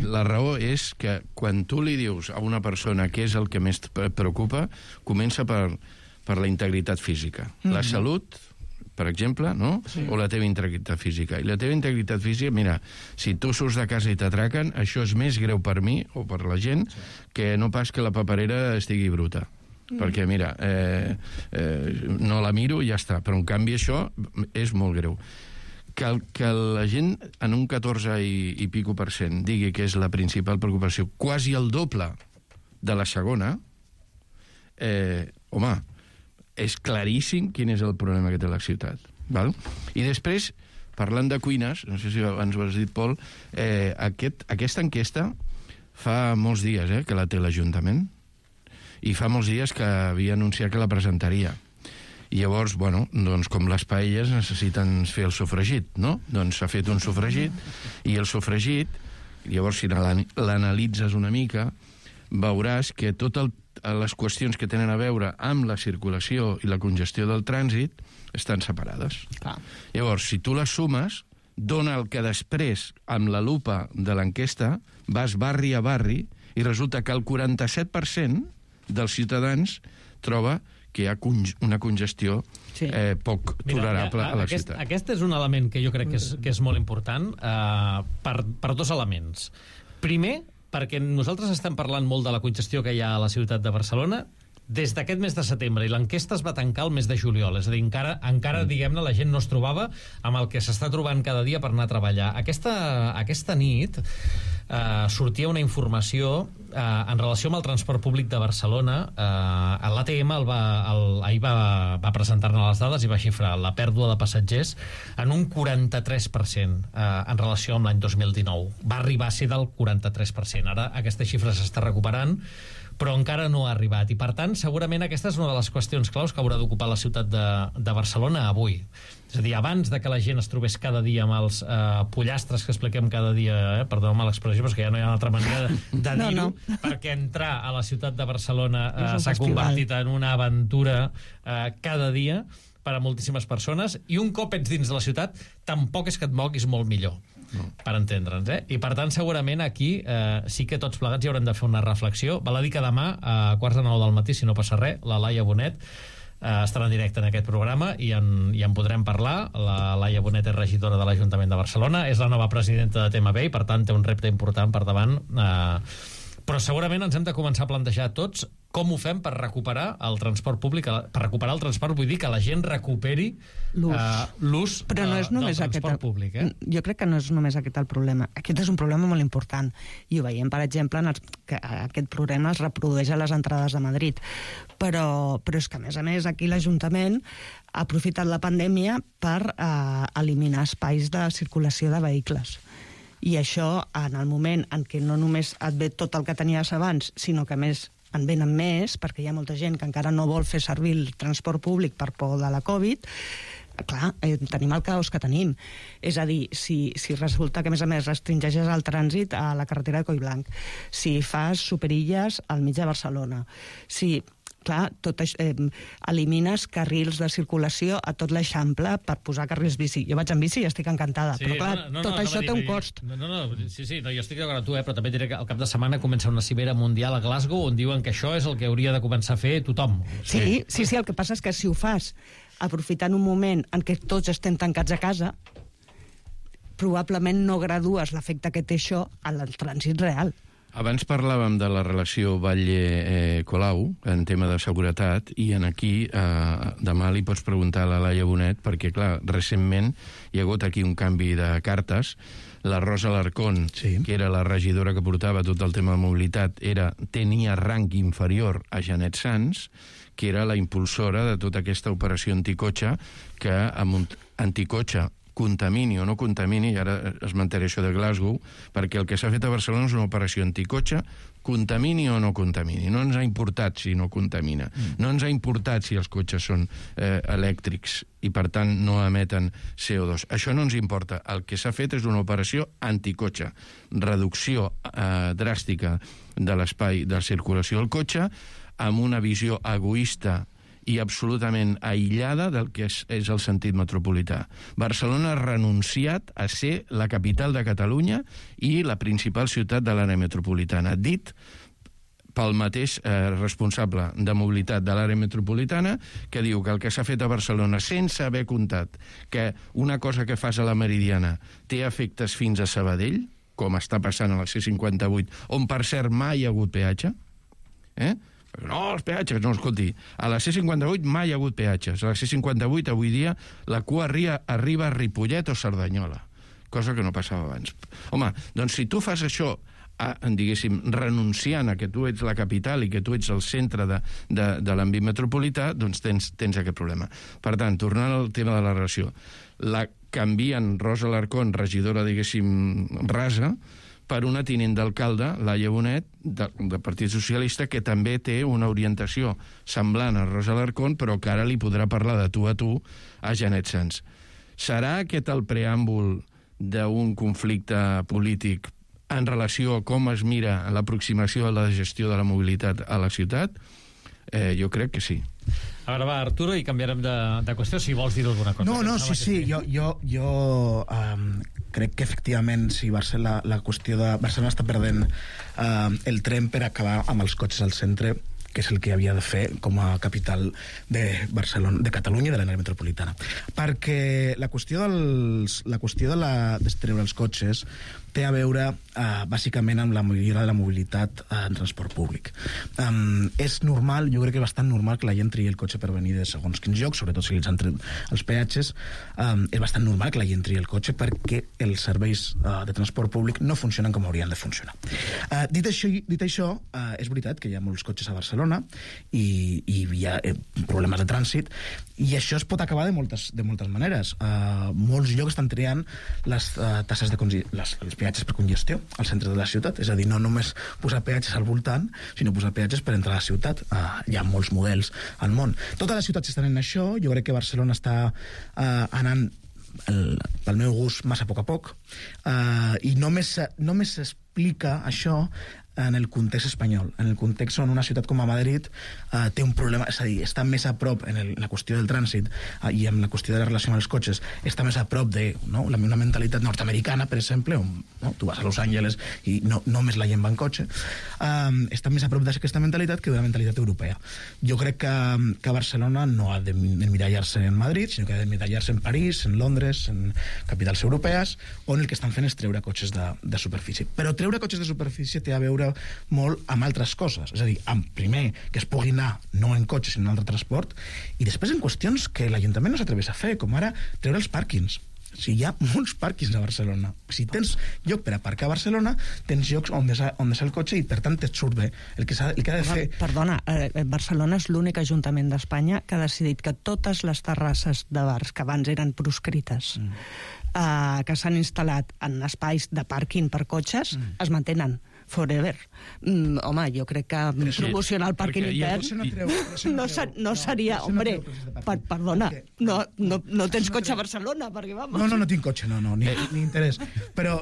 Speaker 8: la raó és que quan tu li dius a una persona què és el que més et preocupa, comença per la integritat física. La salut, per exemple, no? Sí. O la teva integritat física. I la teva integritat física, mira, si tu surts de casa i t'atraquen, això és més greu per mi, o per la gent, que no pas que la paperera estigui bruta. Perquè, mira, no la miro i ja està. Però, en canvi, això és molt greu. Que la gent, en un 14 i pico % digui que és la principal preocupació, quasi el doble de la segona, home, és claríssim quin és el problema que té la ciutat. Val? I després, parlant de cuines, no sé si abans ho has dit, Pol, aquesta enquesta fa molts dies que la té l'Ajuntament, i fa molts dies que havia anunciat que la presentaria. I llavors, bueno, doncs com les paelles necessiten fer el sofregit, no? Doncs s'ha fet un sofregit, i el sofregit, llavors si l'analitzes una mica, veuràs que totes les qüestions que tenen a veure amb la circulació i la congestió del trànsit estan separades.
Speaker 7: Clar.
Speaker 8: Llavors, si tu les sumes, dona el que després, amb la lupa de l'enquesta, vas barri a barri i resulta que el 47% dels ciutadans troba que hi ha una congestió poc tolerable a la ciutat.
Speaker 2: Aquest és un element que jo crec que és molt important per dos elements. Primer, perquè nosaltres estem parlant molt de la congestió que hi ha a la ciutat de Barcelona des d'aquest mes de setembre, i l'enquesta es va tancar el mes de juliol, és a dir, encara diguem-ne, la gent no es trobava amb el que s'està trobant cada dia per anar a treballar. Aquesta nit sortia una informació en relació amb el transport públic de Barcelona. L'ATM ahir va presentar-ne les dades i va xifrar la pèrdua de passatgers en un 43% en relació amb l'any 2019. Va arribar a ser del 43%. Ara aquesta xifra s'està recuperant, però encara no ha arribat. I, per tant, segurament aquesta és una de les qüestions claus que haurà d'ocupar la ciutat de Barcelona avui. És a dir, abans de que la gent es trobés cada dia amb els pollastres que expliquem cada dia, perdoneu-me l'expressió, però és que ja no hi ha una altra manera de dir-ho, perquè entrar a la ciutat de Barcelona s'ha convertit en una aventura cada dia per a moltíssimes persones, i un cop ets dins de la ciutat tampoc és que et moguis molt millor, per entendre'ns, I per tant segurament aquí sí que tots plegats hi haurem de fer una reflexió. Val a dir que demà a 8:45 del matí, si no passa res, la Laia Bonet estarà en directe en aquest programa i en podrem parlar. La Laia Bonet és regidora de l'Ajuntament de Barcelona, és la nova presidenta de TMB i per tant té un repte important per davant, però segurament ens hem de començar a plantejar tots com ho fem per recuperar el transport públic, per recuperar el transport, vull dir que la gent recuperi l'ús
Speaker 7: però no és només
Speaker 2: del transport públic.
Speaker 7: Jo crec que no és només aquest el problema. Aquest és un problema molt important, i ho veiem, per exemple, que aquest problema es reprodueix a les entrades de Madrid. Però és que, a més, aquí l'Ajuntament ha aprofitat la pandèmia per eliminar espais de circulació de vehicles. I això, en el moment en què no només et ve tot el que tenies abans, sinó que a més en venen més, perquè hi ha molta gent que encara no vol fer servir el transport públic per por de la Covid, clar, tenim el caos que tenim. És a dir, si resulta que, a més, restringeixes el trànsit a la carretera de Collblanc, si fas superilles al mig de Barcelona, si... Clar, elimines carrils de circulació a tot l'Eixample per posar carrils bici. Jo vaig en bici i estic encantada, però clar, tot això té un cost.
Speaker 2: Sí, jo estic d'acord amb tu, però també diré que al cap de setmana comença una cimera mundial a Glasgow on diuen que això és el que hauria de començar a fer tothom.
Speaker 7: Sí, el que passa és que si ho fas aprofitant un moment en què tots estem tancats a casa, probablement no gradues l'efecte que té això al trànsit real.
Speaker 8: Abans parlàvem de la relació Batlle-Colau en tema de seguretat i en aquí demà li pots preguntar a la Laia Bonet perquè, clar, recentment hi ha hagut aquí un canvi de cartes. La Rosa Alarcón, que era la regidora que portava tot el tema de mobilitat, tenia rang inferior a Janet Sans, que era la impulsora de tota aquesta operació anticotxe, que amb anticotxe contamini o no contamini, i ara esmentaré això de Glasgow, perquè el que s'ha fet a Barcelona és una operació anticotxe, contamini o no contamini. No ens ha importat si no contamina. No ens ha importat si els cotxes són elèctrics i, per tant, no emeten CO2. Això no ens importa. El que s'ha fet és una operació anticotxe. Reducció dràstica de l'espai de circulació del cotxe amb una visió egoista i absolutament aïllada del que és el sentit metropolità. Barcelona ha renunciat a ser la capital de Catalunya i la principal ciutat de l'àrea metropolitana. Dit pel mateix responsable de mobilitat de l'àrea metropolitana, que diu que el que s'ha fet a Barcelona, sense haver comptat que una cosa que fas a la Meridiana té efectes fins a Sabadell, com està passant a la C58, on, per cert, mai hi ha hagut peatge, no, els peatges, no, escolti, a la C58 mai hi ha hagut peatges. A la C58 avui dia la cua arriba a Ripollet o Cerdanyola, cosa que no passava abans. Home, doncs si tu fas això, diguéssim, renunciant a que tu ets la capital i que tu ets el centre de l'àmbit metropolità, doncs tens aquest problema. Per tant, tornant al tema de la relació, la canvien Rosa Alarcón, regidora, diguéssim, rasa, per una tinent d'alcalde, Laia Bonet, del Partit Socialista, que també té una orientació semblant a Rosa Alarcón, però que ara li podrà parlar de tu a Janet Sans. Serà aquest el preàmbul d'un conflicte polític en relació a com es mira l'aproximació a la gestió de la mobilitat a la ciutat? Jo crec que sí.
Speaker 2: A veure, va, Arturo, i canviarem de qüestió, si vols dir alguna cosa.
Speaker 9: No, sí. Jo crec que efectivament si la qüestió de Barcelona està perdent el tren per acabar amb els cotxes al centre, que és el que havia de fer com a capital de Barcelona, de Catalunya i de l'àrea metropolitana. Perquè la qüestió de treure els cotxes té a veure bàsicament amb la millora de la mobilitat en transport públic. És normal, jo crec que és bastant normal que la gent tria el cotxe per venir de segons quins llocs, sobretot si els han tret els peatges. És bastant normal que la gent tria el cotxe perquè els serveis de transport públic no funcionen com haurien de funcionar. Dit això, és veritat que hi ha molts cotxes a Barcelona i hi ha problemes de trànsit, i això es pot acabar de moltes maneres. Molts llocs estan triant les tasses els peatges per congestió al centre de la ciutat, és a dir, no només posar peatges al voltant, sinó posar peatges per entrar a la ciutat. Hi ha molts models al món. Totes les ciutats estan en això. Jo crec que Barcelona està anant, pel meu gust, massa a poc, i només s'explica això en el context espanyol, en el context on una ciutat com a Madrid té un problema, és a dir, està més a prop en la qüestió del trànsit i en la qüestió de la relació amb els cotxes, està més a prop de una mentalitat nord-americana, per exemple, on tu vas a Los Angeles i només la gent va en cotxe, està més a prop d'aquesta mentalitat que d'una mentalitat europea. Jo crec que Barcelona no ha d'emmirallar-se en Madrid, sinó que ha d'emmirallar-se en París, en Londres, en capitals europees, on el que estan fent és treure cotxes de superfície. Però treure cotxes de superfície té a veure molt amb altres coses, és a dir, primer que es pugui anar no en cotxe sinó en altre transport, i després en qüestions que l'Ajuntament no s'atreveix a fer, com ara treure els pàrquings. O sigui, hi ha molts pàrquings a Barcelona. Si tens lloc per aparcar a Barcelona, tens llocs on deixar el cotxe i per tant et surt bé. El que ha de fer...
Speaker 7: Perdona, Barcelona és l'únic ajuntament d'Espanya que ha decidit que totes les terrasses de bars que abans eren proscrites que s'han instal·lat en espais de pàrquing per cotxes es mantenen forever. Home, jo crec que promocionar el pàrquing intern no seria... Hombre, perdona, no tens cotxe a Barcelona, perquè vamos...
Speaker 9: No tinc cotxe, ni interès. Però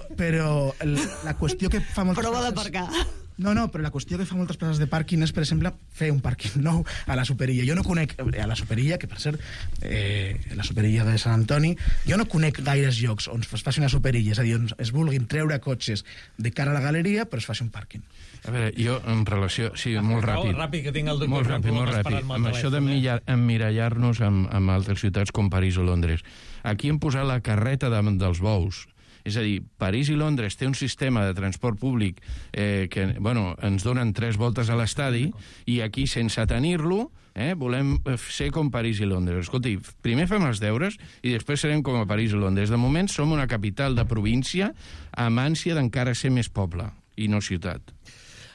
Speaker 9: la qüestió que fa moltes...
Speaker 7: Prova d'aparcar.
Speaker 9: No, però la qüestió que fa moltes places de pàrquing és, per exemple, fer un pàrquing nou a la Superilla. Jo no conec a la Superilla, que per cert, la Superilla de Sant Antoni, jo no conec gaires llocs on es faci una Superilla, és a dir, on es vulguin treure cotxes de cara a la galeria, però es faci un pàrquing.
Speaker 8: A veure, jo en relació... Sí, molt ràpid.
Speaker 2: Ràpid, que tinc el doctor
Speaker 8: molt ràpid. Amb això d'emmirallar-nos amb altres ciutats com París o Londres. Aquí hem posat la carreta davant dels bous És a dir, París i Londres té un sistema de transport públic que, bueno, ens donen 3 voltes a l'estadi, i aquí, sense tenir-lo, volem ser com París i Londres. Escolti, primer fem els deures i després serem com a París i Londres. De moment som una capital de província amb ànsia d'encara ser més poble i no ciutat.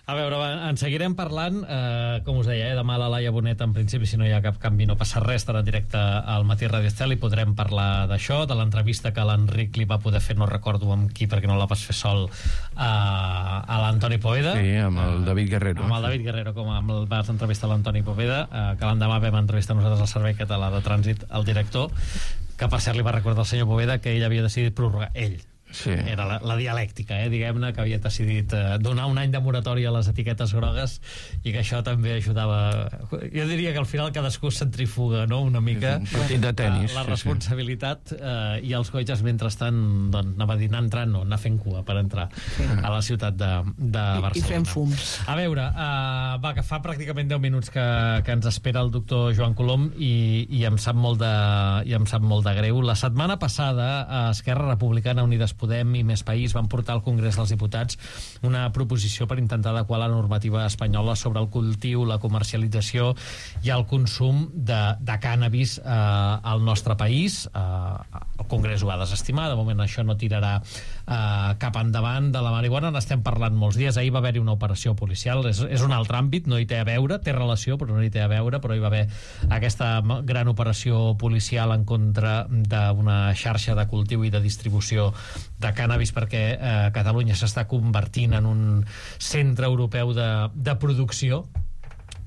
Speaker 2: A veure, en seguirem parlant, com us deia, demà la Laia Bonet, en principi, si no hi ha cap canvi, no passa res, estarà en directe al Matí Ràdio Estel i podrem parlar d'això, de l'entrevista que l'Enric li va poder fer, no recordo amb qui, perquè no la vas fer sol, a l'Antoni Poveda.
Speaker 8: Sí, amb el David Guerrero.
Speaker 2: Amb el David Guerrero, com vas entrevistar l'Antoni Poveda, que l'endemà vam entrevistar nosaltres al Servei Català de Trànsit, el director, que per cert li va recordar al senyor Poveda que ell havia decidit prorrogar, ell. Sí. Era la dialèctica, diguem-ne, que havia decidit donar un any de moratòria a les etiquetes grogues i que això també ajudava. Jo diria que al final cadascú centrifuga, no?, una mica
Speaker 8: un partit de tenis,
Speaker 2: la responsabilitat, i els cotxes mentrestant, doncs, anava a dir, anar entrant, no, anar fent cua per entrar a la ciutat de Barcelona.
Speaker 7: I fent fums.
Speaker 2: A veure, que fa pràcticament 10 minuts que ens espera el doctor Joan Colom i em sap molt de greu. La setmana passada Esquerra Republicana, Unides Podem i Més País van portar al Congrés dels Diputats una proposició per intentar adequar la normativa espanyola sobre el cultiu, la comercialització i el consum de cànnabis al nostre país. El Congrés ho va desestimar, de moment això no tirarà cap endavant. De la marihuana n'estem parlant molts dies. Ahir va haver-hi una operació policial, és un altre àmbit, no hi té a veure, té relació però no hi té a veure, però hi va haver aquesta gran operació policial en contra d'una xarxa de cultiu i de distribució de cànnabis, perquè Catalunya s'està convertint en un centre europeu de producció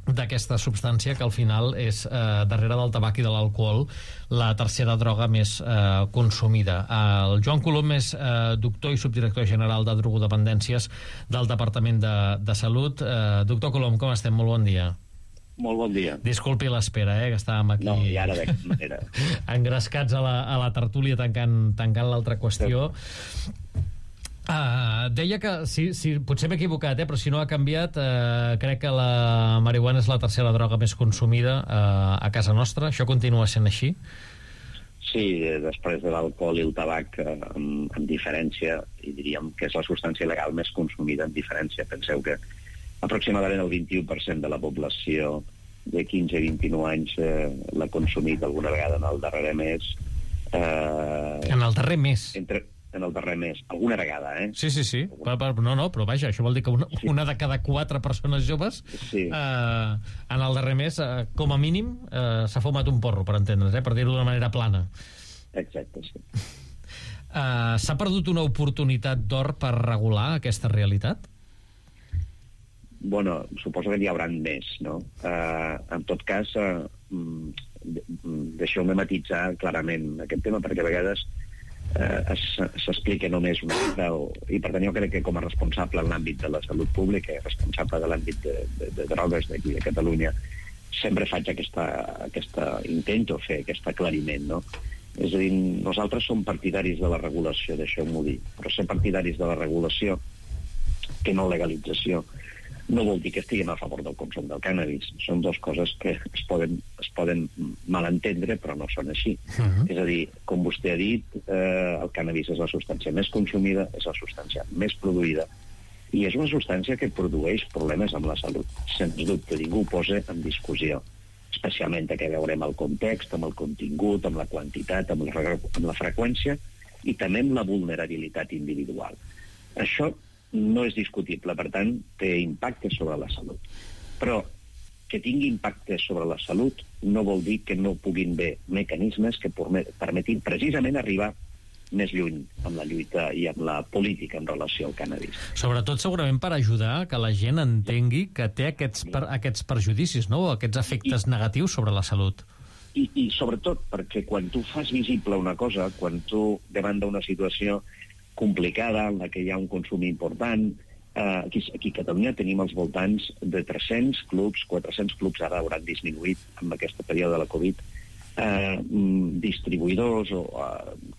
Speaker 2: d'aquesta substància que al final és, darrere del tabac i de l'alcohol, la tercera droga més consumida. El Joan Colom és doctor i subdirector general de drogodependències del Departament de Salut. Doctor Colom, com estem? Molt bon dia.
Speaker 10: Molt bon dia.
Speaker 2: Disculpi l'espera, que estàvem aquí...
Speaker 10: No, i ara de cap manera.
Speaker 2: Engrescats a la tertúlia tancant l'altra qüestió. Deia que, potser m'he equivocat, però si no ha canviat, crec que la marihuana és la tercera droga més consumida a casa nostra. Això continua sent així?
Speaker 10: Sí, després de l'alcohol i el tabac, amb diferència, i diríem que és la substància legal més consumida en diferència. Penseu que aproximadament el 21% de la població de 15 a 29 anys l'ha consumit alguna vegada en el darrer mes.
Speaker 2: En el darrer mes?
Speaker 10: En el darrer mes, alguna vegada,
Speaker 2: Sí. No, però vaja, això vol dir que una de cada 4 persones joves en el darrer mes, com a mínim, s'ha fumat un porro, per entendre's, per dir-ho d'una manera plana.
Speaker 10: Exacte, sí.
Speaker 2: S'ha perdut una oportunitat d'or per regular aquesta realitat?
Speaker 10: Bueno, suposo que n'hi haurà més, no? En tot cas, deixeu-me matitzar clarament aquest tema, perquè a vegades s'explica només una altra, i per tant jo crec que com a responsable en l'àmbit de la salut pública, responsable de l'àmbit de drogues d'aquí de Catalunya, sempre faig intento fer aquest aclariment, no? És a dir, nosaltres som partidaris de la regulació, deixeu-m'ho dir, però ser partidaris de la regulació que no legalització no vol dir que estiguem a favor del consum del cànnabis. Són dues coses que es poden malentendre, però no són així. És a dir, com vostè ha dit, el cànnabis és la substància més consumida, és la substància més produïda, i és una substància que produeix problemes amb la salut. Sens dubte, ningú ho posa en discussió. Especialment que veurem el context, amb el contingut, amb la quantitat, amb la freqüència, i també amb la vulnerabilitat individual. Això no és discutible, per tant, té impacte sobre la salut. Però que tingui impacte sobre la salut no vol dir que no puguin haver mecanismes que permetin precisament arribar més lluny amb la lluita i amb la política en relació al cànnabis.
Speaker 2: Sobretot, segurament, per ajudar que la gent entengui que té aquests perjudicis, no?, aquests efectes negatius sobre la salut.
Speaker 10: I sobretot perquè quan tu fas visible una cosa, quan tu, davant d'una situació complicada, en la que hi ha un consum important, aquí a Catalunya tenim als voltants de 300 clubs, 400 clubs ara hauran disminuït amb aquest període de la Covid, distribuïdors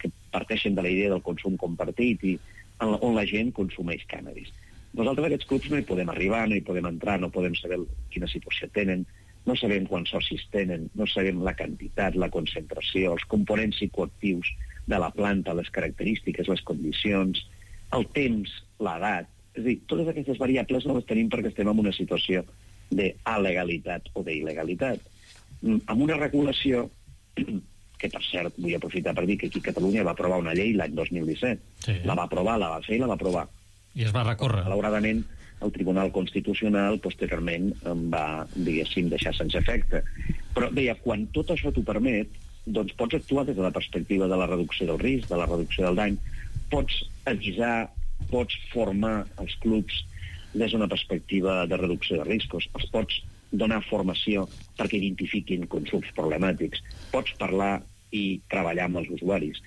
Speaker 10: que parteixen de la idea del consum compartit i on la gent consumeix cànnabis. Nosaltres a aquests clubs no hi podem arribar, no hi podem entrar, no podem saber quina situació tenen, no sabem quants socis tenen, no sabem la quantitat, la concentració, els components psicoactius de la planta, les característiques, les condicions, el temps, l'edat. És a dir, totes aquestes variables no les tenim perquè estem en una situació d'alegalitat o d'il·legalitat. Amb una regulació que, per cert, vull aprofitar per dir que aquí a Catalunya va aprovar una llei l'any 2017. Sí. La va aprovar, la va fer i la va aprovar.
Speaker 2: I es va recórrer.
Speaker 10: Malauradament, el Tribunal Constitucional posteriorment va, diguéssim, deixar sense efecte. Però, deia, quan tot això t'ho permet, doncs pots actuar des de la perspectiva de la reducció del risc, de la reducció del dany, pots avisar, pots formar els clubs des d'una perspectiva de reducció de riscos, els pots donar formació perquè identifiquin consums problemàtics, pots parlar i treballar amb els usuaris,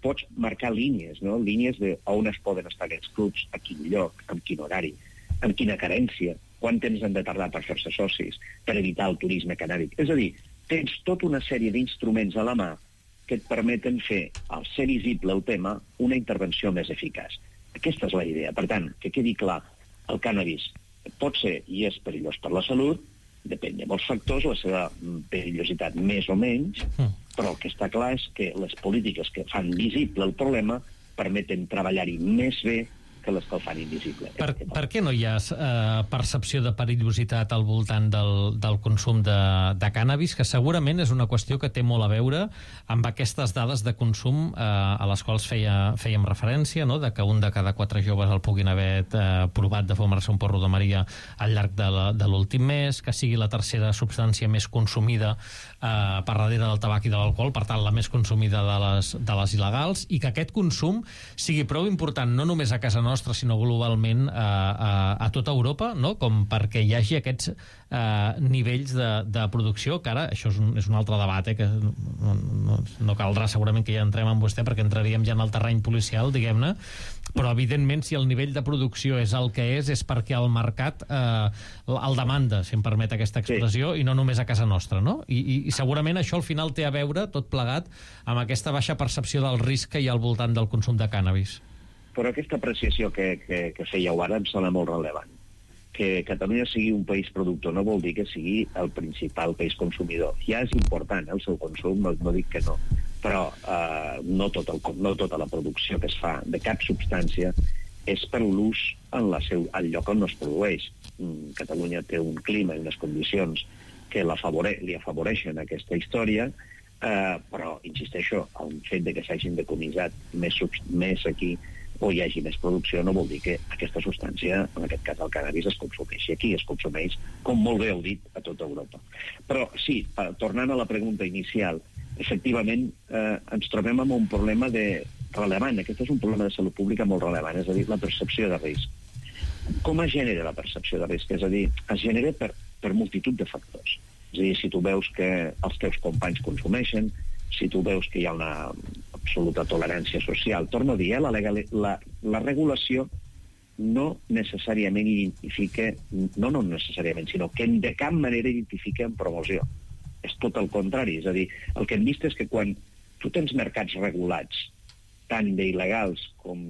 Speaker 10: pots marcar línies, no? Línies d'on es poden estar aquests clubs, a quin lloc, amb quin horari, amb quina carència, quant temps han de tardar per fer-se socis, per evitar el turisme canàbic. És a dir, tens tota una sèrie d'instruments a la mà que et permeten fer, al ser visible el tema, una intervenció més eficaç. Aquesta és la idea. Per tant, que quedi clar, el cànnabis pot ser i és perillós per la salut, depèn de molts factors, la seva perillositat més o menys, però el que està clar és que les polítiques que fan visible el problema permeten treballar-hi més bé que les que el fan invisible.
Speaker 2: Per què no hi ha percepció de perillositat al voltant del consum de cànnabis, que segurament és una qüestió que té molt a veure amb aquestes dades de consum a les quals fèiem referència, no? De que un de cada 4 joves el puguin haver provat de fumar-se un porro de Maria al llarg de l'últim mes, que sigui la tercera substància més consumida per darrere del tabac i de l'alcohol, per tant la més consumida de les il·legals, i que aquest consum sigui prou important no només a casa nostra, sinó globalment a tota Europa, no? Com perquè hi hagi aquests nivells de producció, que ara això és un altre debat, que no caldrà segurament que ja entrem amb vostè, perquè entraríem ja en el terreny policial, diguem-ne, però evidentment si el nivell de producció és el que és perquè el mercat el demanda, si em permet aquesta expressió, sí. I no només a casa nostra, no? I segurament això al final té a veure, tot plegat, amb aquesta baixa percepció del risc que hi ha al voltant del consum de cànnabis.
Speaker 10: Però aquesta apreciació que fèieu ara em sembla molt rellevant. Que Catalunya sigui un país productor no vol dir que sigui el principal país consumidor. Ja és important el seu consum, no dic que no, però no tota la producció que es fa de cap substància és per l'ús al lloc on no es produeix. Catalunya té un clima i unes condicions que li afavoreixen aquesta història, però, insisteixo, el fet de que s'hagin decomissat més aquí o hi hagi més producció no vol dir que aquesta substància, en aquest cas el cànnabis, es consumeixi aquí, es consumeix, com molt bé heu dit, a tota Europa. Però sí, tornant a la pregunta inicial, efectivament ens trobem amb un problema rellevant. Aquest és un problema de salut pública molt rellevant, és a dir, la percepció de risc. Com es genera la percepció de risc? És a dir, es genera per multitud de factors. És a dir, si tu veus que els teus companys consumeixen, si tu veus que hi ha una absoluta tolerància social. Torno a dir, la regulació no necessàriament identifica, no necessàriament, sinó que de cap manera identifica en promoció. És tot el contrari. És a dir, el que hem vist és que quan tu tens mercats regulats, tant d'il·legals com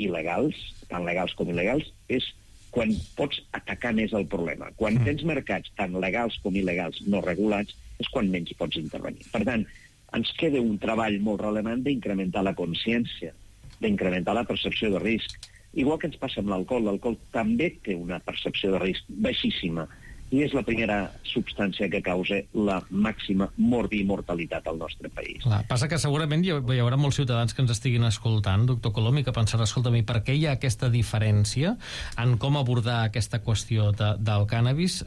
Speaker 10: il·legals, tant legals com il·legals, és quan pots atacar més el problema. Quan tens mercats tant legals com il·legals no regulats, és quan menys pots intervenir. Per tant, ens queda un treball molt rellevant d'incrementar la consciència, d'incrementar la percepció de risc. Igual que ens passa amb l'alcohol, l'alcohol també té una percepció de risc baixíssima i és la primera substància que causa la màxima morbi-mortalitat al nostre país.
Speaker 2: Clar, passa que segurament hi haurà molts ciutadans que ens estiguin escoltant, doctor Colom, i que pensaran, escolta'm, i per què hi ha aquesta diferència en com abordar aquesta qüestió del cànnabis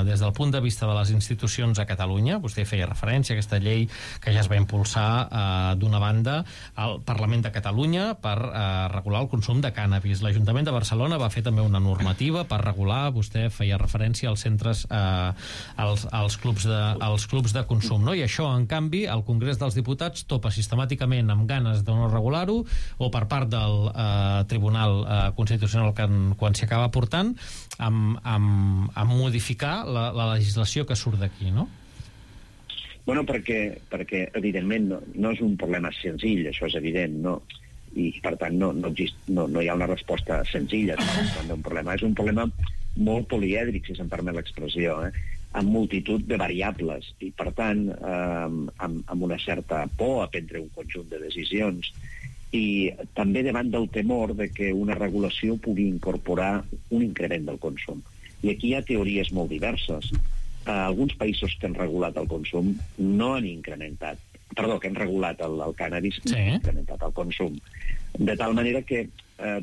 Speaker 2: des del punt de vista de les institucions a Catalunya? Vostè feia referència a aquesta llei que ja es va impulsar d'una banda al Parlament de Catalunya per regular el consum de cànnabis. L'Ajuntament de Barcelona va fer també una normativa per regular, vostè feia referència als centres als clubs de consum, no? I això, en canvi, el Congrés dels Diputats topa sistemàticament amb ganes de no regular-ho o per part del Tribunal Constitucional quan s'hi acaba portant amb modificar la legislació que surt d'aquí, no?
Speaker 10: Bueno, perquè evidentment no és un problema senzill, això és evident, no? I per tant no hi ha una resposta senzilla d'un problema. És un problema molt polièdric, si se'm permet l'expressió. amb multitud de variables i, per tant, amb una certa por a prendre un conjunt de decisions i també davant del temor de que una regulació pugui incorporar un increment del consum. I aquí hi ha teories molt diverses. Alguns països que han regulat el consum no han incrementat, que han regulat el cànnabis, no han incrementat el consum. De tal manera que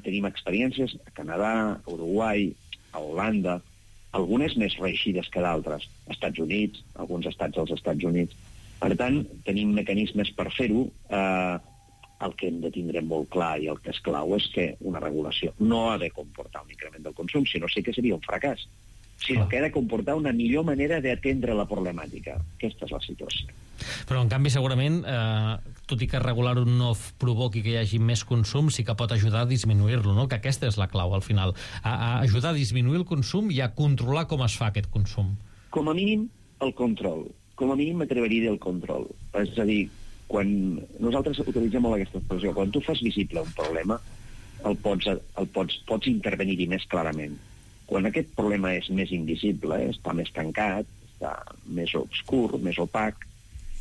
Speaker 10: tenim experiències a Canadà, a Uruguai, a Holanda, algunes més reeixides que d'altres, Estats Units, alguns estats als Estats Units. Per tant, tenim mecanismes per fer-ho. El que hem de tindre molt clar i el que és clau és que una regulació no ha de comportar un increment del consum, sinó sí que seria un fracàs, sinó que ha de comportar una millor manera d'atendre la problemàtica. Aquesta és la situació.
Speaker 2: Però, en canvi, segurament, tot i que regular-ho no provoqui que hi hagi més consum, sí que pot ajudar a disminuir-lo, no? Que aquesta és la clau, al final. A ajudar a disminuir el consum i a controlar com es fa aquest consum.
Speaker 10: Com a mínim, el control. Com a mínim m'atreveria a dir el control. És a dir, quan nosaltres utilitzem molt aquesta expressió, quan tu fas visible un problema, pots intervenir-hi més clarament. Quan aquest problema és més invisible, està més tancat, està més obscur, més opac,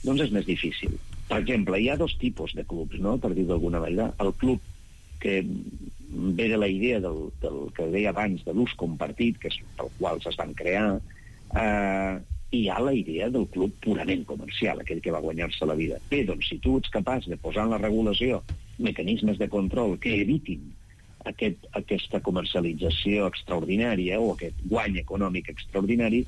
Speaker 10: doncs és més difícil. Per exemple, hi ha dos tipus de clubs, no?, per dir d'alguna manera. El club que ve de la idea del que deia abans, de l'ús compartit, que és pel qual es van crear, i hi ha la idea del club purament comercial, aquell que va guanyar-se la vida. Bé, doncs, si tu ets capaç de posar en la regulació mecanismes de control que evitin aquesta comercialització extraordinària o aquest guany econòmic extraordinari,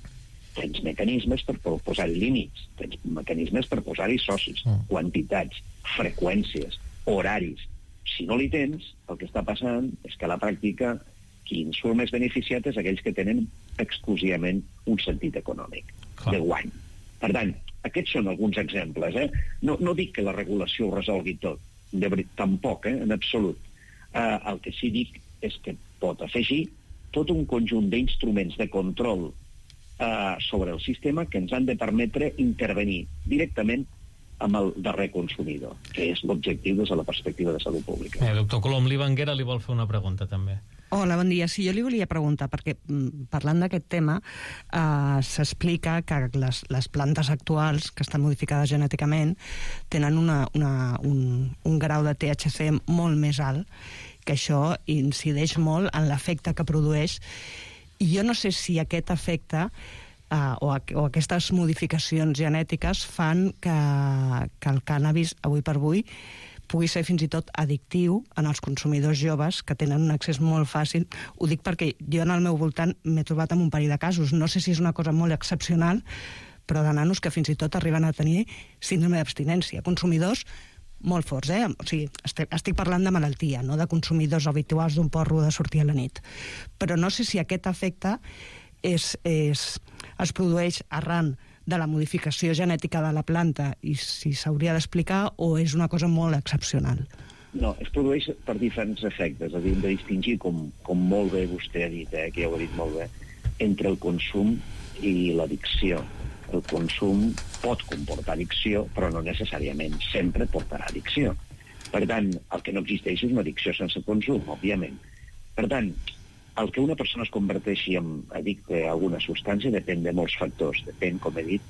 Speaker 10: tens mecanismes per posar-hi límits, tens mecanismes per posar-hi socis, quantitats, freqüències, horaris. Si no li tens, el que està passant és que a la pràctica qui en surt més beneficiat és aquells que tenen exclusivament un sentit econòmic de guany. Per tant, aquests són alguns exemples. No dic que la regulació ho resolgui tot, tampoc, en absolut. El que sí dic és que pot afegir tot un conjunt d'instruments de control sobre el sistema que ens han de permetre intervenir directament amb el darrer consumidor, que és l'objectiu des de la perspectiva de salut pública.
Speaker 2: Doctor Colom, l'Ivanguera li vol fer una pregunta, també.
Speaker 7: Hola, bon dia. Sí, jo li volia preguntar, perquè parlant d'aquest tema, s'explica que les plantes actuals, que estan modificades genèticament, tenen un grau de THC molt més alt, que això incideix molt en l'efecte que produeix. I jo no sé si aquest efecte o aquestes modificacions genètiques fan que el cànnabis, avui per avui, pugui ser fins i tot addictiu en els consumidors joves que tenen un accés molt fàcil. Ho dic perquè jo en el meu voltant m'he trobat amb un parell de casos. No sé si és una cosa molt excepcional, però de nanos que fins i tot arriben a tenir síndrome d'abstinència. Consumidors molt forts, O sigui, estic parlant de malaltia, no de consumidors habituals d'un porro de sortir a la nit. Però no sé si aquest efecte es produeix arran de la modificació genètica de la planta i si s'hauria d'explicar o és una cosa molt excepcional.
Speaker 10: No, es produeix per diferents efectes. És a dir, hem de distingir, com molt bé vostè ha dit, que ja ho ha dit molt bé, entre el consum i l'addicció. El consum pot comportar addicció, però no necessàriament sempre portarà addicció. Per tant, el que no existeix és una addicció sense consum, òbviament. Per tant, el que una persona es converteixi en addicte a alguna substància depèn de molts factors. Depèn, com he dit,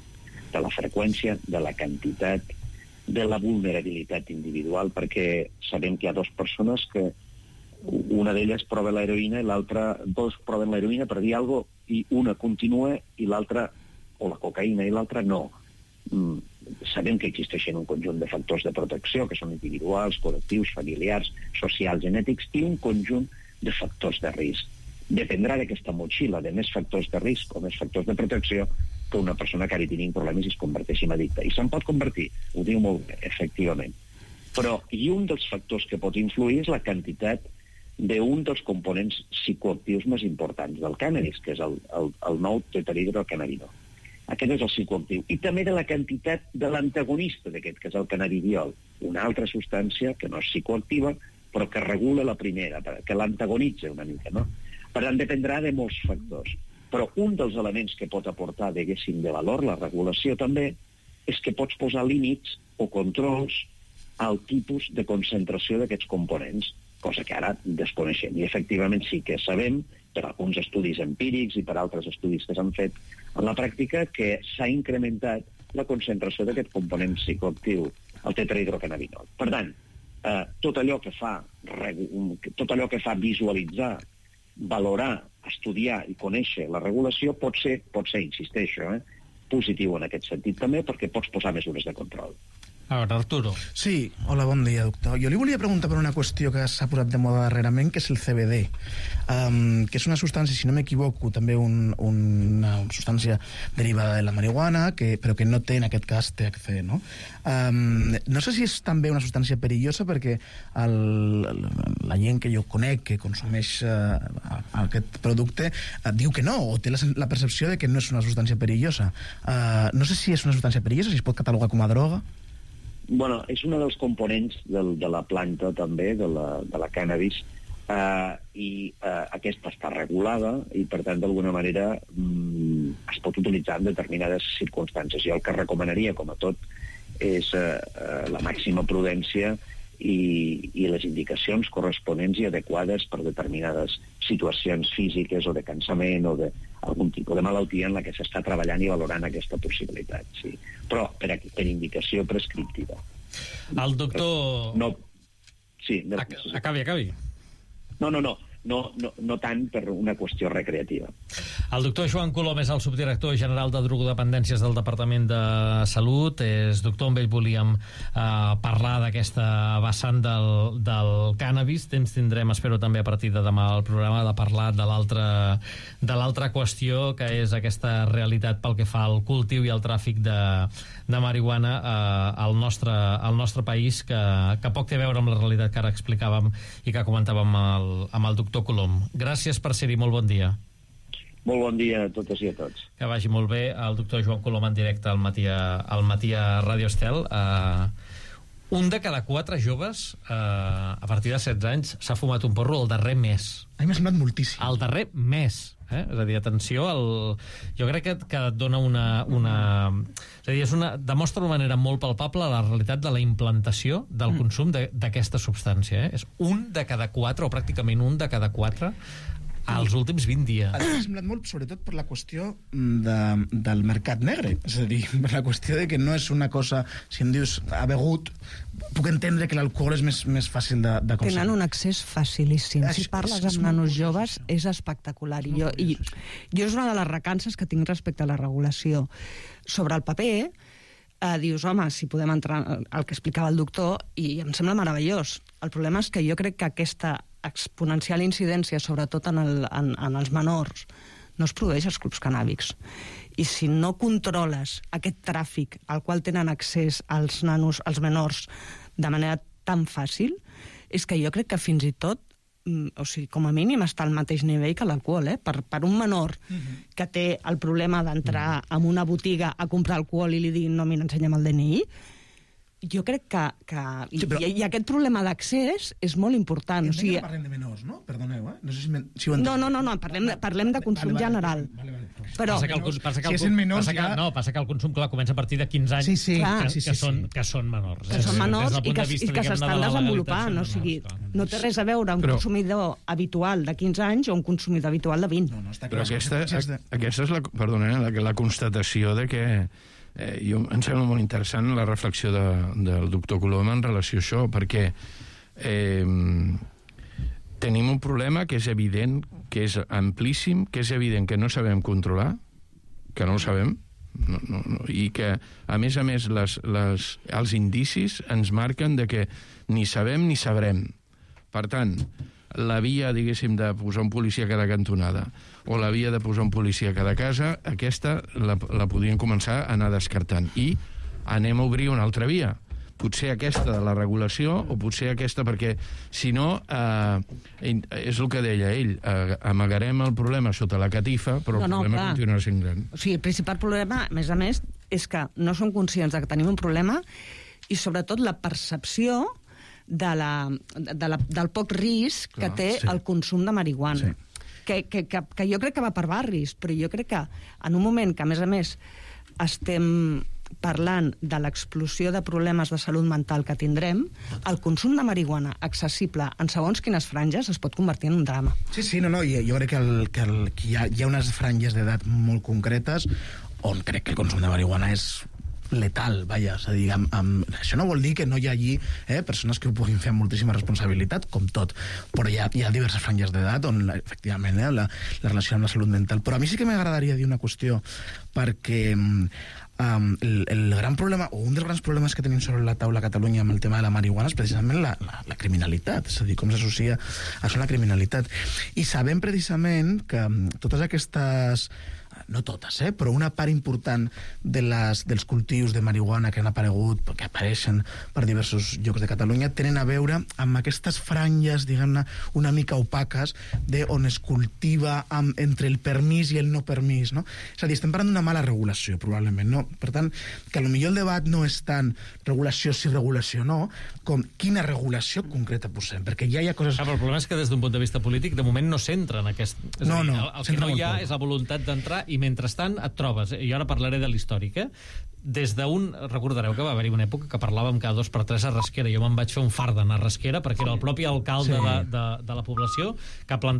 Speaker 10: de la freqüència, de la quantitat, de la vulnerabilitat individual, perquè sabem que hi ha dues persones que una d'elles prova l'heroïna i l'altra, dos proven l'heroïna per dir alguna cosa, i una continua i l'altra, o la cocaïna i l'altra no. Sabem que existeixen un conjunt de factors de protecció que són individuals, col·lectius, familiars, socials, genètics i un conjunt de factors de risc. Dependrà d'aquesta motxilla de més factors de risc o més factors de protecció que una persona que ara tingui problemes i es converteixi en addicte. I se'n pot convertir, ho diu molt bé, efectivament. Però un dels factors que pot influir és la quantitat d'un dels components psicoactius més importants del cànnabis, que és el nou tetrahidrocannabinol. Aquest és el psicoactiu. I també de la quantitat de l'antagonista d'aquest, que és el cannabidiol, una altra substància que no és psicoactiva, però que regula la primera, que l'antagonitza una mica, no? Per tant, dependrà de molts factors. Però un dels elements que pot aportar, diguéssim, de valor, la regulació també, és que pots posar límits o controls al tipus de concentració d'aquests components. cosa que ara desconeixem. I efectivament sí que sabem, per alguns estudis empírics i per altres estudis que s'han fet en la pràctica, que s'ha incrementat la concentració d'aquest component psicoactiu, el tetrahidrocannabinol. Per tant, tot allò que fa visualitzar, valorar, estudiar i conèixer la regulació pot ser, insisteixo, positiu en aquest sentit també, perquè pots posar mesures de control.
Speaker 2: A veure, Arturo.
Speaker 9: Sí, hola, bon dia, doctor. Jo li volia preguntar per una qüestió que s'ha posat de moda darrerament, que és el CBD, que és una substància, si no m'equivoco, també una substància derivada de la marihuana, però que no té, en aquest cas, THC, no? No sé si és també una substància perillosa, perquè la gent que jo conec, que consumeix aquest producte, diu que no, o té la percepció de que no és una substància perillosa. No sé si és una substància perillosa, si es pot catalogar com a droga.
Speaker 10: Bueno, és un dels components de la planta també, de la cannabis, i aquesta està regulada i per tant d'alguna manera es pot utilitzar en determinades circumstàncies. Jo el que recomanaria, com a tot, és la màxima prudència i les indicacions corresponents i adequades per determinades situacions físiques o de cansament o d'algun tipus de malaltia en la que s'està treballant i valorant aquesta possibilitat, sí. Però per indicació prescriptiva.
Speaker 2: El doctor...
Speaker 10: No. Sí.
Speaker 2: Acabi.
Speaker 10: No tant per una qüestió recreativa.
Speaker 2: El doctor Joan Colom és el subdirector general de drogodependències del Departament de Salut. És doctor, amb ell volíem parlar d'aquesta vessant del cànnabis. Temps tindrem, espero, també a partir de demà al programa, de parlar de l'altra qüestió, que és aquesta realitat pel que fa al cultiu i al tràfic de marihuana al nostre país, que poc té a veure amb la realitat que ara explicàvem i que comentàvem amb el doctor Colom. Gràcies per ser-hi, molt bon dia.
Speaker 10: Molt bon dia a totes i a tots.
Speaker 2: Que vagi molt bé. El doctor Joan Colom en directe al matí a Ràdio Estel. Un de cada 4 joves a partir de 16 anys s'ha fumat un porro el darrer mes.
Speaker 9: A mi m'ha semblat moltíssim.
Speaker 2: El darrer mes. És a dir, atenció, jo crec que et dona és a dir, demostra d'una manera molt palpable la realitat de la implantació del consum d'aquesta substància. És un de cada 4, o pràcticament un de cada 4, als últims 20 dies.
Speaker 9: M'ha semblat molt, sobretot per la qüestió del mercat negre. És a dir, per la qüestió de que no és una cosa... Si em dius, ha begut, puc entendre que l'alcohol és més fàcil de consumir.
Speaker 7: Tenen un accés facilíssim. Si parles amb nanos joves, és espectacular. I jo és una de les recances que tinc respecte a la regulació. Sobre el paper, dius, home, si podem entrar al que explicava el doctor, i em sembla meravellós. El problema és que jo crec que aquesta exponencial incidència, sobretot en els menors, no es produeix als clubs cannàbics. I si no controles aquest tràfic al qual tenen accés els nanos, els menors, de manera tan fàcil, és que jo crec que fins i tot, o sigui, com a mínim està al mateix nivell que l'alcohol, per un menor que té el problema d'entrar en una botiga a comprar alcohol i li diguin no, mira, ensenya'm el DNI, jo crec que i aquest problema d'accés és molt important.
Speaker 9: O sigui, parlem de menors, no? Perdoneu, No sé si ho entenc.
Speaker 7: No, parlem de consum general. Però
Speaker 2: passa que el consum, clar, comença a partir de 15 anys, que són menors.
Speaker 7: Que són menors i que s'estan desenvolupant. O sigui, no té res a veure un consumidor habitual de 15 anys o un consumidor habitual de 20.
Speaker 8: Però aquesta és la constatació de que em sembla molt interessant la reflexió del doctor Colom en relació a això, perquè tenim un problema que és evident, que és amplíssim, que és evident que no sabem controlar, que no ho sabem, i que, a més, els indicis ens marquen de que ni sabem ni sabrem. Per tant, la via, diguéssim, de posar un policia a cada cantonada o la via de posar un policia a cada casa, aquesta la podríem començar a anar descartant. I anem a obrir una altra via. Potser aquesta de la regulació o potser aquesta, perquè si no, és el que deia ell, amagarem el problema sota la catifa, però el problema continuarà sent gran.
Speaker 7: O sigui, el principal problema, a més, és que no som conscients que tenim un problema i sobretot la percepció del poc risc que té el consum de marihuana. Que jo crec que va per barris, però jo crec que en un moment que, a més, estem parlant de l'explosió de problemes de salut mental que tindrem, el consum de marihuana accessible en segons quines franges es pot convertir en un drama.
Speaker 9: Sí, no, jo crec que hi ha unes franges d'edat molt concretes on crec que el consum de marihuana és letal, vaja, és a dir, això no vol dir que no hi hagi persones que ho puguin fer amb moltíssima responsabilitat, com tot, però hi ha diverses franges d'edat on, efectivament, la relació amb la salut mental. Però a mi sí que m'agradaria dir una qüestió, perquè el gran problema, o un dels grans problemes que tenim sobre la taula a Catalunya amb el tema de la marihuana és precisament la criminalitat, és a dir, com s'associa això a la criminalitat. I sabem precisament que totes aquestes, no totes, però una part important dels cultius de marihuana que han aparegut, que apareixen per diversos llocs de Catalunya, tenen a veure amb aquestes franges, diguem-ne, una mica opaques on es cultiva entre el permís i el no permís, no? És a dir, estem parlant d'una mala regulació, probablement, no? Per tant, que potser el debat no és tant regulació sí, regulació no, com quina regulació concreta posem, perquè ja hi ha coses...
Speaker 2: Però el problema és que des d'un punt de vista polític, de moment no s'entra en aquest...
Speaker 9: No,
Speaker 2: el que no hi ha és la voluntat d'entrar i mentrestant et trobes, i ara parlaré de l'històric, des d'un... Recordareu que va haver-hi una època que parlàvem cada 2 per 3 a Rasquera. Jo me'n vaig fer un fart d'anar a Rasquera perquè era el propi alcalde de la població que ha plantat